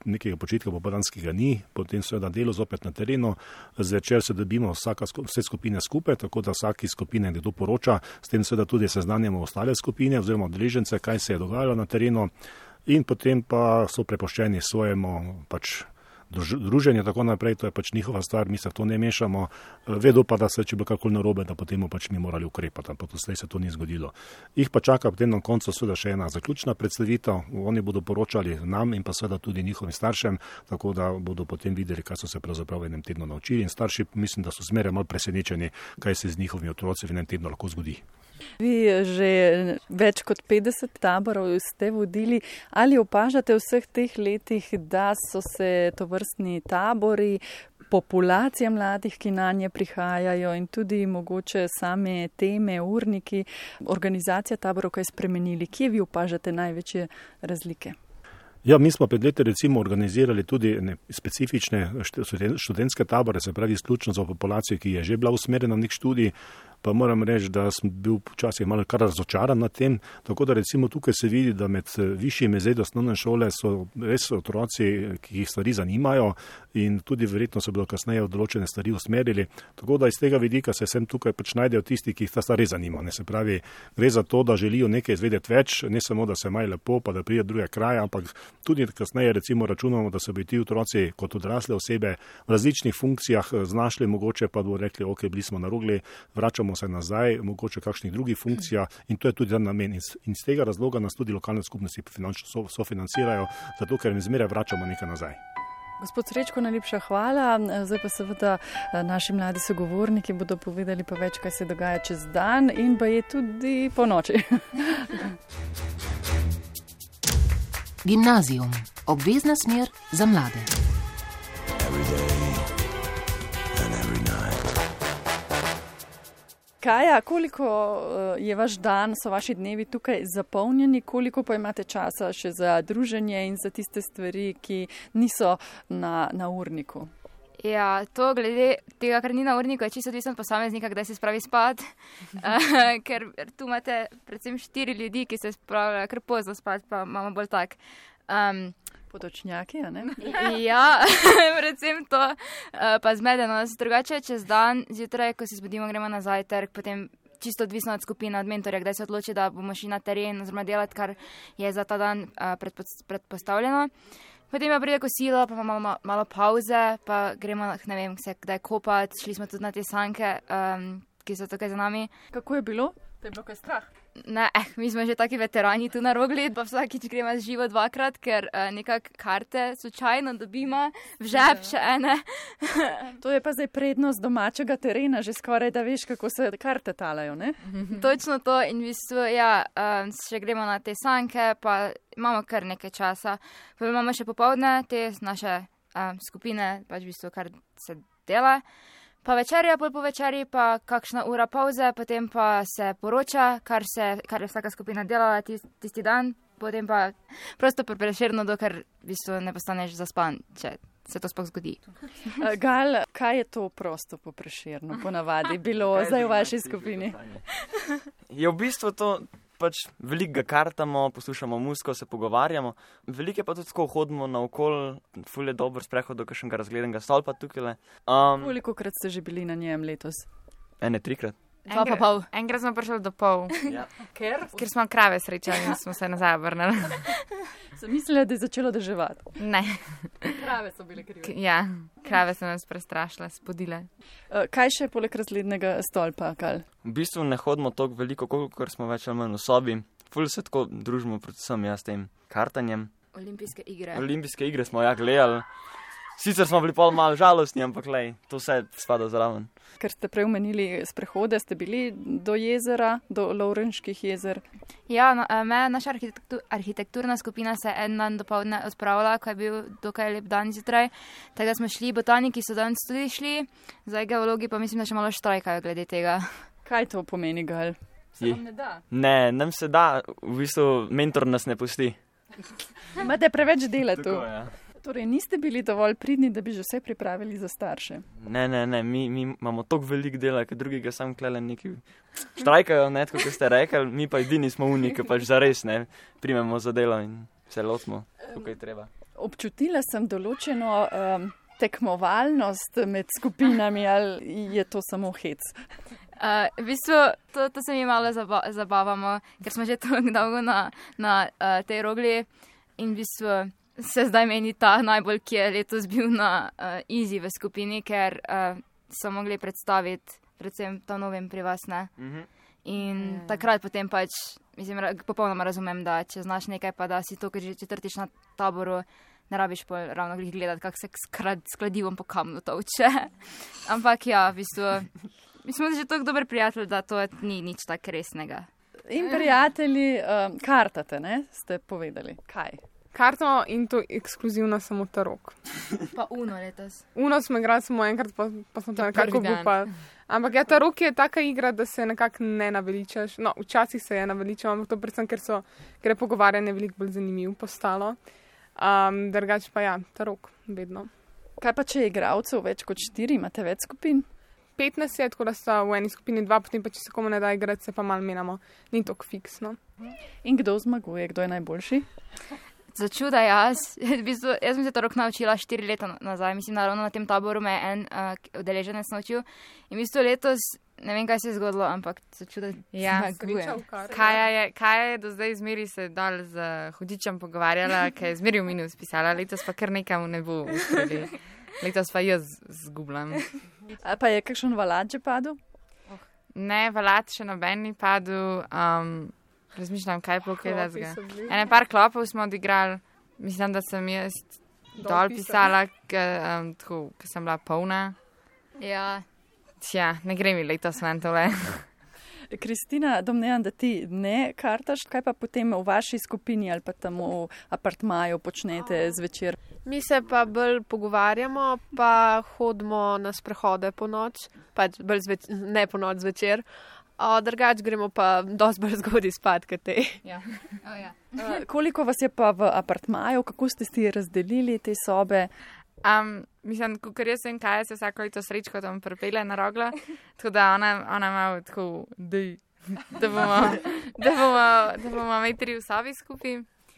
H: nekega počitka popoldanskega ni, potem seveda delo zopet na terenu, zvečer se dobimo vsaka, vse skupine skupaj, tako da vsaki skupine nekdo poroča, s tem seveda tudi seznanjamo ostale skupine oziroma udeležence, kaj se je dogajalo na terenu in potem pa so prepuščeni svojemu pač druženje, tako naprej, to je pač njihova stvar, mi se v to ne mešamo, vedo pa, da se, če bo kakoli narobe, da potem pač mi morali ukrepati, ampak doslej se to ni zgodilo. Jih pa čaka potem na koncu seveda še ena zaključna predstavitev, oni bodo poročali nam in pa seveda tudi njihovim staršem, tako da bodo potem videli, kaj so se pravzaprav v enem tednu naučili in starši mislim, da so zmeraj malo presenečeni, kaj se z njihovimi otroci v enem tednu lahko zgodi.
B: Vi že več kot petdeset taborov ste vodili. Ali opažate v vseh teh letih, da so se tovrstni tabori, populacija mladih, ki na nje prihajajo in tudi mogoče same teme, urniki, organizacija taborov kaj spremenili? Kje vi opažate največje razlike?
H: Ja, mi smo pred leti recimo organizirali tudi specifične študentske tabore, se pravi izključno za populacijo, ki je že bila usmerjena v nek študij, pa moram reči, da sem bil včasih malo kar razočaran nad tem, tako da recimo tukaj se vidi, da med višjimi razredi osnovne šole so res otroci, ki jih stvari zanimajo in tudi verjetno se bodo kasneje v določene stvari usmerili, tako da iz tega vidika se sem tukaj pač najdejo tisti, ki jih ta stvar res zanima. Ne, se pravi, gre za to, da želijo nekaj izvedeti več, ne samo, da se imajo lepo, pa da pride druge kraje, ampak tudi kasneje recimo računamo, da se bi ti otroci kot odrasle osebe v različnih funkcijah znašli, mogoče pa bodo rekli, ok, bili smo na rogli, vračamo se nazaj, mogoče kakšnih drugih funkcijah in to je tudi dan namen. In z tega razloga nas tudi lokalne skupnosti finančno sofinancirajo, zato ker jim zmeraj vračamo nekaj nazaj.
B: Gospod Srečko, najlepša hvala. Zdaj pa seveda naši mladi sogovorniki bodo povedali pa več, kaj se dogaja čez dan in pa je tudi po noči.
A: Gimnazijum. Obvezna smer za mlade.
B: Kaja, koliko je vaš dan, so vaši dnevi tukaj zapolnjeni, koliko pa imate časa še za druženje in za tiste stvari, ki niso na, na urniku?
F: Ja, to glede tega, kar ni na urniku, je čisto odvisno od posameznika, kdaj se spravi spat, uh, ker tu imate predvsem štiri ljudi, ki se spravljajo kar pozno spat, pa imamo bolj tak. Um,
B: Potočnjaki, a ne?
F: Ja, predvsem to, uh, pa zmedenost. Drugače, čez dan, zjutraj, ko se zbudimo, gremo na zajtrk, potem čisto odvisno od skupine, od mentorja, kdaj se odloči, da bomo šli na teren oziroma delati, kar je za ta dan uh, predpostavljeno. Potem pa pride kosilo, pa imamo malo, malo pauze, pa gremo, ne vem, se kdaj kopati, šli smo tudi na te sanke, um, ki so tukaj za nami.
B: Kako je bilo? Te je bilo kaj strah?
F: Ne, eh, mi smo že taki veterani tu na Rogli, pa vsakič gremo živo dvakrat, ker uh, nekak karte slučajno dobimo, v žep še ene.
B: To je pa zdaj prednost domačega terena, že skoraj da veš, kako se karte talajo, ne?
F: Točno to in v bistvu, ja, um, še gremo na te sanke, pa imamo kar nekaj časa. Pa imamo še popovdne te naše um, skupine, pač v bistvu, kar se dela. Pa večerja, pol po večerji, pa kakšna ura pauze, potem pa se poroča, kar, se, kar je vsaka skupina delala tisti, tisti dan, potem pa prosto Prešerno, dokler v bistvu ne postaneš zaspan, če se to sploh zgodi.
B: Gal, kaj je to prosto po Prešernu, ponavadi bilo zdaj v vaši skupini?
G: Je v bistvu to pač veliko ga kartamo, poslušamo muziko, se pogovarjamo. Veliko je pa tudi tako hodimo naokol, ful je dober sprehod do kakšnega razgledanega stolpa tukaj. Um,
B: Koliko krat ste že bili na njem letos?
G: Ene, trikrat.
F: Dva pa pol.
E: Enkrat smo prišli do pol.
G: Ja.
B: Ker?
E: Ker smo krave srečali in smo se nazaj obrnili.
B: Sem mislila, da je začelo deževati.
E: Ne.
B: Krave so bile krive.
E: K- ja, krave so nas prestrašile, spodile.
B: Uh, kaj še poleg razglednega stolpa, Gal?
G: V bistvu ne hodimo toliko veliko, koliko smo več ali manj v sobi. Ful se tako družimo, predvsem jaz s tem kartanjem.
F: Olimpijske igre.
G: Olimpijske igre smo ja gledali. Sicer smo bili pol malo žalostni, ampak lej, to vse spada zraven.
B: Ker ste prej omenili sprehode, ste bili do jezera, do Lovrenških jezer.
F: Ja, no, me, naša arhitektur, arhitekturna skupina se en dan dopoldne odpravila, ko je bil dokaj lep dan zjutraj. Tako smo šli, botaniki so danes tudi šli, zdaj geologi pa mislim, da še malo štrajkajo glede tega.
B: Kaj to pomeni, Gal? Se
G: Je.
B: vam ne da?
G: Ne, nam se da, v bistvu mentor nas ne pusti.
B: Imate preveč dela tu.
G: Tako, ja.
B: Torej, niste bili dovolj pridni, da bi že vse pripravili za starše.
G: Ne, ne, ne, mi, mi imamo toliko velik dela, ker drugi ga sam klele neki štrajkajo, ne, tako kot ste rekli, mi pa edini smo uniki, pač zares, ne, primemo za delo in se lotimo, tukaj treba.
B: Občutila sem določeno um, tekmovalnost med skupinami, ali je to samo hec?
F: Uh, v bistvu, to, to se mi malo zaba zabavamo, ker smo že tako dolgo na, na uh, tej Rogli in v bistvu se zdaj meni ta najbolj, ki je letos bil na uh, Easy v skupini, ker uh, so mogli predstaviti predvsem to novim pri vas, ne?
G: Mhm.
F: In mm. takrat potem pač, mislim, ra popolnoma razumem, da če znaš nekaj, pa da si to, ker že četrtič na taboru, ne rabiš pol ravno glih gledati, kak se s kladivom po kamnu tolče. Ampak ja, v bistvu, mi smo že tako dober prijatelj, da to ni nič tak resnega.
B: In prijatelji, um, kartate, ne, ste povedali. Kaj?
D: Karto in to ekskluzivno samo Tarok.
F: Pa Uno letos.
D: Uno smo igrali samo enkrat, pa, pa smo to
F: To
D: nekako
F: prvi dan.
D: upali. Ampak ja, Tarok je taka igra, da se nekako ne naveličaš. No, včasih se je naveličal, ampak to predvsem, ker so, ker je pogovarjanje veliko bolj zanimivo postalo. Um, drugač pa ja, Tarok, vedno.
B: Kaj pa, če je igralcev več kot štiri, imate več skupin?
D: petnajst je, tako da sta v eni skupini dva, potem pa če se komu ne da igrati, se pa malo menjamo. Ni tako fiksno.
B: In kdo zmaguje, kdo je najboljši?
F: Začuda jaz. V bistvu, jaz sem se Tarok naučila štiri leta nazaj. Mislim, da ravno na tem taboru me je en uh, udeleženec naučil. In v bistvu letos, ne vem, kaj se je zgodilo, ampak začuda
E: Ja,
F: zmagujem.
E: Kaja je, Kaja je do zdaj zmeri se dal z hudičem pogovarjala, ker je zmeri v minus pisala, letos pa kar nekam ne bo uspeli. Letos pa jaz zgubljam.
B: A pa je kakšen valat že padel?
E: Ne, valat še noben ni padel. Um, razmišljam, kaj bo kaj
D: Klopi
E: razga.
D: so bili.
E: Ene par klopov smo odigrali, mislim, da sem jaz dol pisala, ker um, sem bila polna.
F: Ja.
E: Tja, ne gre mi letos ven tole.
B: Kristina, domnevam, da ti ne kartaš, kaj pa potem v vaši skupini ali pa tam v apartmaju počnete zvečer?
C: Mi se pa bolj pogovarjamo, pa hodimo na sprehode po noč, pač bolj zveč, ne po noč zvečer. Drugač gremo pa dosti bolj zgodaj spat, kot te.
F: Ja. Oh, ja.
B: uh, koliko vas je pa v apartmaju, kako ste si razdelili te sobe?
E: Um, mislim, ker jaz vem, kaj se vsako leto srečko tam pripelje na rogla, tako da ona, ona ima tako, dej, da bomo, da bomo, da bomo metri v sobi skupaj.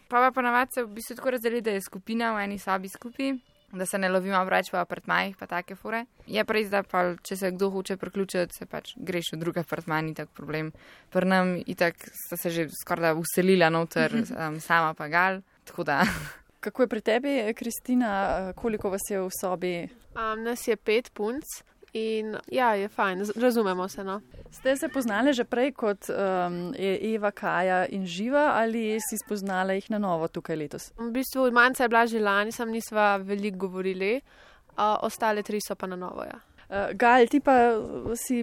E: Pa pa ponavadi se v bistvu tako razdeli, da je skupina v eni sobi skupaj, da se ne lovimo preveč v apartmajih, pa take fure. Je pa res, da pa, če se kdo hoče priključiti, se pač greš v drug apartmaj, ni tak problem. Pri nam itak sta se že skoraj da uselila noter, um, sama pa gal, tako da...
B: Kako je pri tebi, Kristina, koliko vas je v sobi?
C: Um, nas je pet punc in ja, je fajn, razumemo se, no.
B: Ste se poznali že prej kot um, Eva, Kaja in Živa ali si spoznala jih na novo tukaj letos?
C: V bistvu manjca je bila že lani, sem nisva veliko govorili, uh, ostale tri so pa na novo, ja.
B: Uh, Gal, ti pa si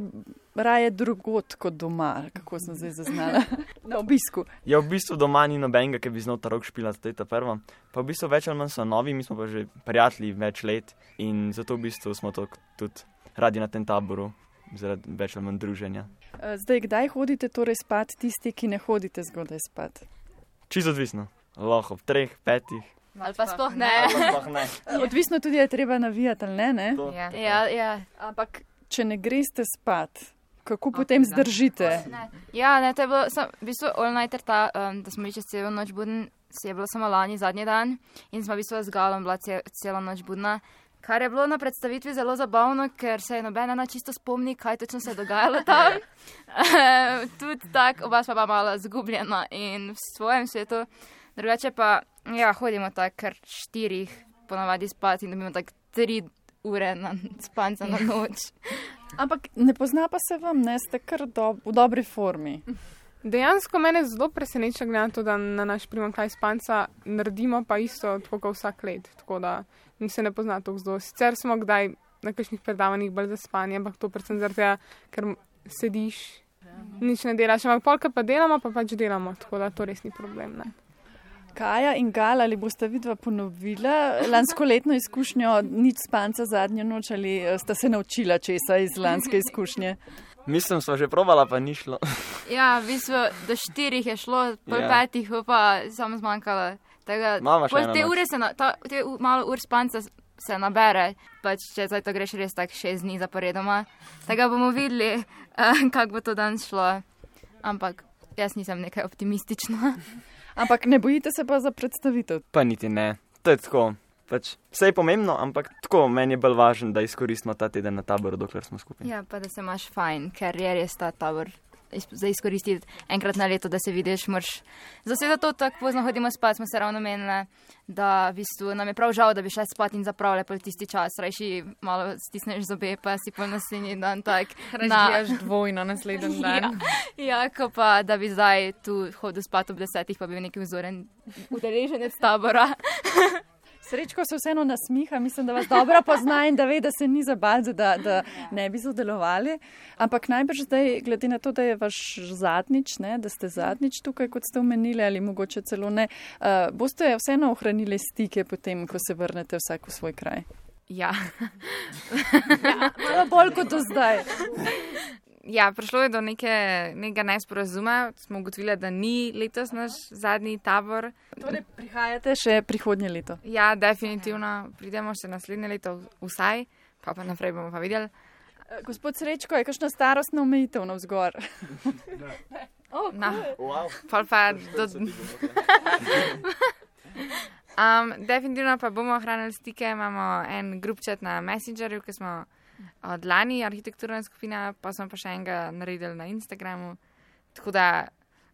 B: raje drugot kot doma, kako sem zdaj zaznala, na obisku.
G: Ja, v bistvu doma ni nobenega, ki bi znal ta rok špila, to je ta prva. Pa v bistvu več ali manj so novi, mi smo pa že prijatelji več let in zato v bistvu smo to tudi radi na tem taboru, zaradi več ali manj druženja.
B: Uh, zdaj, kdaj hodite torej spat tisti, ki ne hodite zgodaj spat?
G: Čisto odvisno. Lahko ob treh, petih.
F: Ali pa sploh ne.
G: ne.
B: Odvisno tudi je treba navijati, ali ne, ne?
F: Ja. Ja, ja.
B: Ampak, če ne greste spat, kako potem zdržite?
F: Ne. Ja, ne, to je bilo, sem, v bistvu, all nighter ta, um, da smo bili čez celo noč budni, se je bilo samo lani zadnji dan in smo v bistvu z Galom bila ce, celo noč budna. Kar je bilo na predstavitvi zelo zabavno, ker se je nobena na čisto spomni, kaj točno se je dogajalo tam. Tudi tak, oba sva pa malo zgubljena in v svojem svetu. Drugače pa, ja, hodimo tak kar štirih ponavadi spati in dobimo tak tri ure na spanca na noč.
B: Ampak ne pozna pa se vam, ne, ste kar do, v dobri formi.
D: Dejansko mene zelo preseneča glede to, da na naš primanjkljaj spanca naredimo pa isto tako kot vsak let, tako da mi se ne pozna toliko zelo. Sicer smo kdaj na kakšnih predavanjih bolj za spanje, ampak to predvsem zaradi tega, ker sediš, nič ne delaš, ampak polka pa delamo, pa pač delamo, tako da to res ni problem, ne.
B: Kaja in Gal, ali boste vidva ponovila lanskoletno izkušnjo nič spanca zadnjo noč ali sta se naučila česa iz lanske izkušnje?
G: Mislim, smo že probala, pa ni šlo.
F: Ja, v bistvu do štirih je šlo, pol
G: Ja.
F: petih pa samo zmanjkalo.
G: Mama še
F: Tako,
G: ena
F: te
G: noč.
F: ure se, na, ta, te u- malo ur spanca s- se nabere, pač če zdaj to greš res tak šest dni zaporedoma. Tega bomo videli, uh, kako bo to danes šlo. Ampak jaz nisem nekaj optimistična.
B: Ampak ne bojite se pa za predstavitev?
G: Pa niti ne. To je tako. Pač, vse je pomembno, ampak tako, meni je bolj važno, da izkoristimo ta teden na taboru, dokler smo skupaj.
F: Ja, pa da se imaš fajn, ker je res ta tabor iz- za izkoristiti enkrat na leto, da se vidiš, moraš. Zato to tako pozno hodimo spat, smo se ravno menili, da v bistvu nam je prav žal, da bi šla spat in zapravljala pol tisti čas, rajši malo stisneš zobe, pa si pol naslednji dan tak.
E: Razbijaš dvojno naslednji dan.
F: Ja, ko pa, da bi zdaj tu hodil spat ob desetih, pa bil neki vzoren udeleženec tabora.
B: Srečko se vseeno nasmiha, mislim, da vas dobro pozna in da ve, da se ni zabal, da, da ne bi sodelovali. Ampak najbrž zdaj, glede na to, da je vaš zadnjič, ne, da ste zadnjič tukaj, kot ste omenili, ali mogoče celo ne, uh, boste vseeno ohranili stike potem, ko se vrnete vsak v svoj kraj?
E: Ja.
B: Malo bolj kot do zdaj.
E: Ja, prišlo je do neke, nekega nesporazuma. Smo ugotovili, da ni letos naš zadnji tabor.
B: Torej, prihajate še prihodnje leto?
E: Ja, definitivno. Pridemo še naslednje leto vsaj, pa pa naprej bomo pa videli.
B: Uh, gospod Srečko, je kakšna starostna omejitev navzgor? Oh,
E: No, pol pa do... um, definitivno pa bomo ohranili stike. Imamo en grupčat na Messengerju, ki smo od lani arhitekturna skupina, pa smo pa še enega naredili na Instagramu. Tako da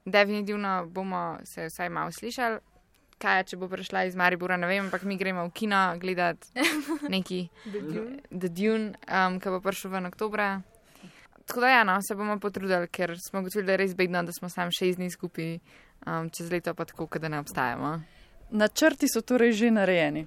E: definitivno bomo se vsaj malo slišali. Kaj, če bo prišla iz Maribora, ne vem, ampak mi gremo v kino gledati neki The Dune, um, ki bo prišel ven oktobra. Tako da ja, no, se bomo potrudili, ker smo ugotovili, da je res bedno, da smo sam šest dni skupaj, um, čez leto pa tako, da ne obstajamo.
B: Načrti so torej že narejeni.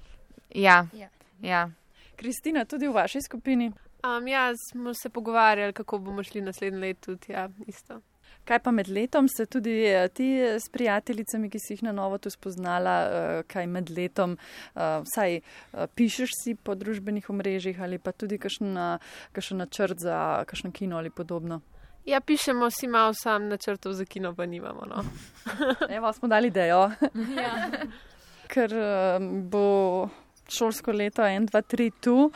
E: Ja,
F: Ja.
E: ja.
B: Kristina, tudi v vaši skupini.
C: Um, ja, smo se pogovarjali, kako bomo šli naslednje leto tudi, ja, isto.
B: Kaj pa med letom ste tudi eh, ti s prijateljicami, ki si jih na novo tu spoznala, eh, kaj med letom, eh, vsaj eh, pišeš si po družbenih omrežjih ali pa tudi kakšen na- kakšen načrt za kakšno kino ali podobno?
C: Ja, pišemo si malo sam načrtov za kino, pa nimamo, no.
B: Evo, smo dali idejo. Ker eh, bo šolsko leto en, dva, tri tu.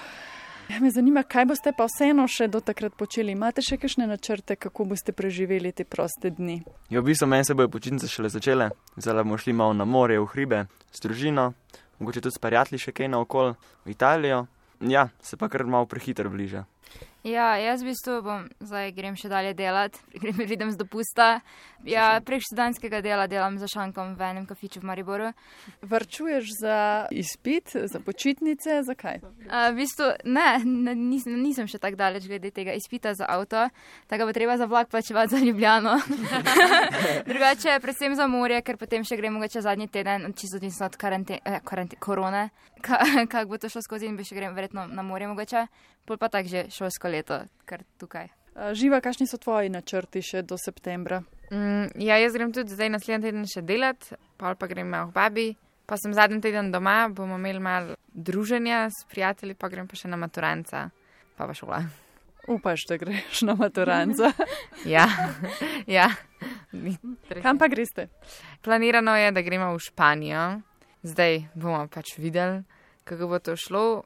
B: Ja, me zanima, kaj boste pa vseeno še do takrat počeli. Imate še kakšne načrte, kako boste preživeli te proste dni?
G: Ja, v bistvu meni se bojo počitnice šele začele. Zdaj bomo šli malo na morje, v hribe, s družino, mogoče tudi s prijatelji še kaj naokol, v Italijo. Ja, se pa kar malo prehitro bliža.
F: Ja, jaz v bistvu bom, zdaj grem še dalje delati, grem pridem z dopusta. Ja, prek študentskega dela delam za šankom v enem kafiču v Mariboru.
B: Varčuješ za izpit, za počitnice, zakaj?
F: Uh, v bistvu ne, ne nisem, nisem še tako daleč glede tega izpita za avto, tako bo treba za vlak plačevati za Ljubljano. Drugače, predvsem za morje, ker potem še grem mogoče zadnji teden, čisto odvisno od karante, eh, karante, korone, ka, kako bo to šlo skozi in bi še grem verjetno na morje mogoče. Pol pa tak že šolsko leto, kar tukaj.
B: Uh, Živa, kakšni so tvoji načrti še do septembra?
E: Mm, ja, jaz grem tudi zdaj naslednji teden še delati, pol pa grem malo k babi. Pa sem zadnji teden doma, bomo imeli malo druženja s prijatelji, pa grem pa še na maturanca, pa pa šola.
B: Upaš, da greš na maturanca.
E: Ja, ja.
B: Kam pa greste?
E: Planirano je, da gremo v Španijo. Zdaj bomo pač videli, kako bo to šlo.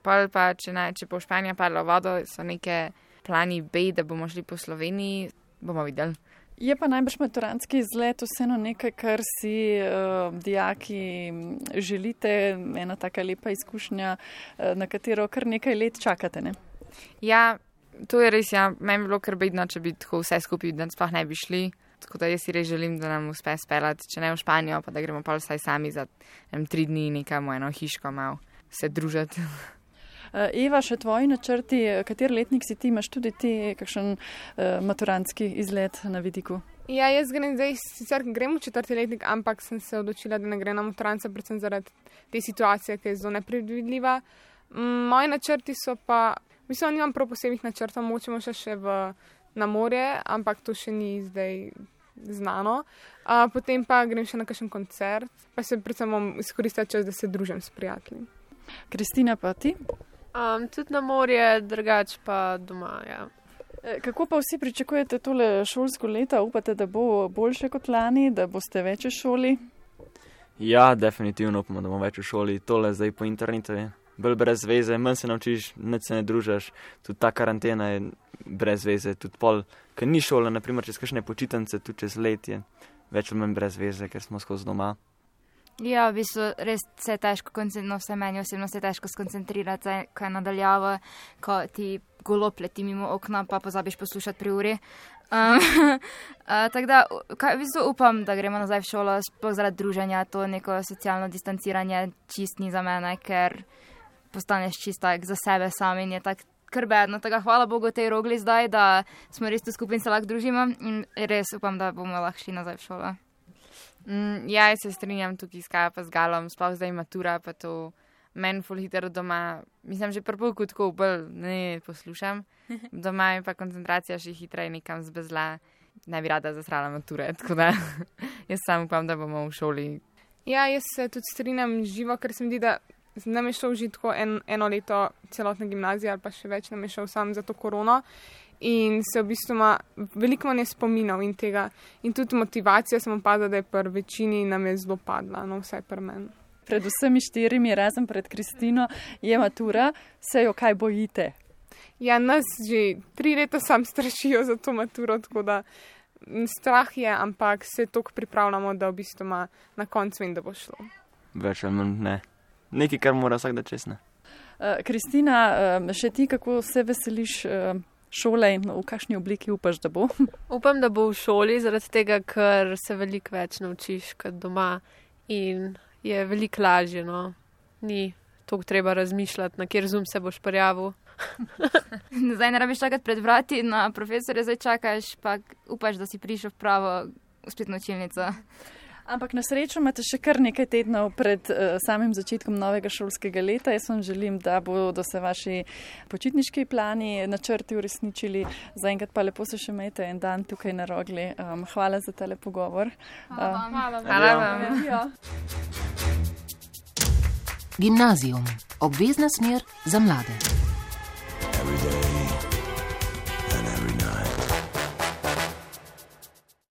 E: Pol pa, če, ne, če bo Španija padla v vodo, so neke plani B, da bomo šli po Sloveniji, bomo videli.
B: Je pa najbrž maturantski izlet vseeno nekaj, kar si uh, dijaki želite, ena taka lepa izkušnja, uh, na katero kar nekaj let čakate, ne?
E: Ja, to je res, ja. Meni bi bilo kar bedno, če bi tako vse skupaj, da sploh ne bi šli. Tako da jaz si res želim, da nam uspe speljati, če ne v Španijo, pa da gremo pa vsaj sami za em, tri dni nekam v eno hiško malo se družiti.
B: Eva, še tvoji načrti, kater letnik si ti, imaš tudi ti kakšen uh, maturantski izlet na vidiku?
D: Ja, jaz grem zdaj, sicer grem v četrti letnik, ampak sem se odločila, da ne grem na maturanca, predvsem zaradi te situacije, ki je zelo nepredvidljiva. Mm, moji načrti so pa, mislim, nimam prav posebnih načrtov, močemo še, še v, na morje, ampak to še ni zdaj znano. Uh, potem pa grem še na kakšen koncert, pa se predvsem bom izkoristila čas, da se družim s prijatelji.
B: Kristina, pa ti?
C: Um, tudi na morje, drugač pa doma, ja.
B: E, Kako pa vsi pričakujete tole šolsko leto? Upate, da bo boljše kot lani, da boste več v šoli?
G: Ja, definitivno upamo, da bomo več v šoli. Tole zdaj po internetu je bolj brez veze, manj se naučiš, nič se ne družaš. Tudi ta karantena je brez veze, tudi pol, ker ni šola, naprimer čez kakšne počitnice, tudi čez let je več ali manj brez veze, ker smo skozi doma.
F: Ja, v bistvu res se je težko, no, vse meni osebno se je težko skoncentrirati, ko je nadaljavo, ko ti golob leti mimo okna, pa pozabiš poslušati pri uri. Um, uh, tako da, kaj, v bistvu upam, da gremo nazaj v šolo, sploh zaradi druženja, to neko socialno distanciranje čist ni za mene, ker postaneš čist tak za sebe sam in je tak krbedno. Tako hvala Bogu tej rogli zdaj, da smo res tu skupaj in se lahko družimo in res upam, da bomo lahko šli nazaj v šolo.
E: Mm, ja, jaz se strinjam tukaj s Kajo pa z Galom, sploh zdaj matura, pa to meni ful hitro doma, mislim, že prvo kot tako bolj ne poslušam, doma je pa koncentracija še hitreje nekam zbezla, ne bi rada zasrala mature, tako da jaz sam upam, da bomo v šoli.
D: Ja, jaz se tudi strinjam živo, ker se mi zdi, da nam je šel že tako en, eno leto celotne gimnazije ali pa še več nam je šel sam za to korono. In se v bistvu ima veliko manj spominov in tega. In tudi motivacija sem opadla, da je pri večini nam je zelo padla, no vsaj pri meni.
B: Pred vsemi štirimi, razen pred Kristino, je matura, se jo kaj bojite?
D: Ja, nas že tri leta sam strašijo za to maturo, tako da strah je, ampak se toliko pripravljamo, da v bistvu ima na koncu in da bo šlo.
G: Več ali manj ne. Nekaj, kar mora vsak da čez, ne.
B: Uh, Kristina, uh, še ti kako se veseliš uh, šole in v kakšni obliki upaš, da bo?
C: Upam, da bo v šoli, zaradi tega, ker se veliko več naučiš kot doma in je veliko lažje, no. Ni toliko treba razmišljati, na kjer Zoom se boš prijavil.
F: Zdaj ne rabiš čakati pred vrati, na profesorja zdaj čakaš, pa upaš, da si prišel v pravo spletno učilnico.
B: Ampak na srečo imate še kar nekaj tednov pred uh, samim začetkom novega šolskega leta. Jaz vam želim, da bodo se vaši počitniški plani, načrti uresničili. Zaenkrat pa lepo se še imejte en dan tukaj na Rogli. Um, hvala za tale pogovor.
D: Hvala vam.
E: Hvala vam. Hvala vam.
A: Gimnazijum. Obvezna smer za mlade.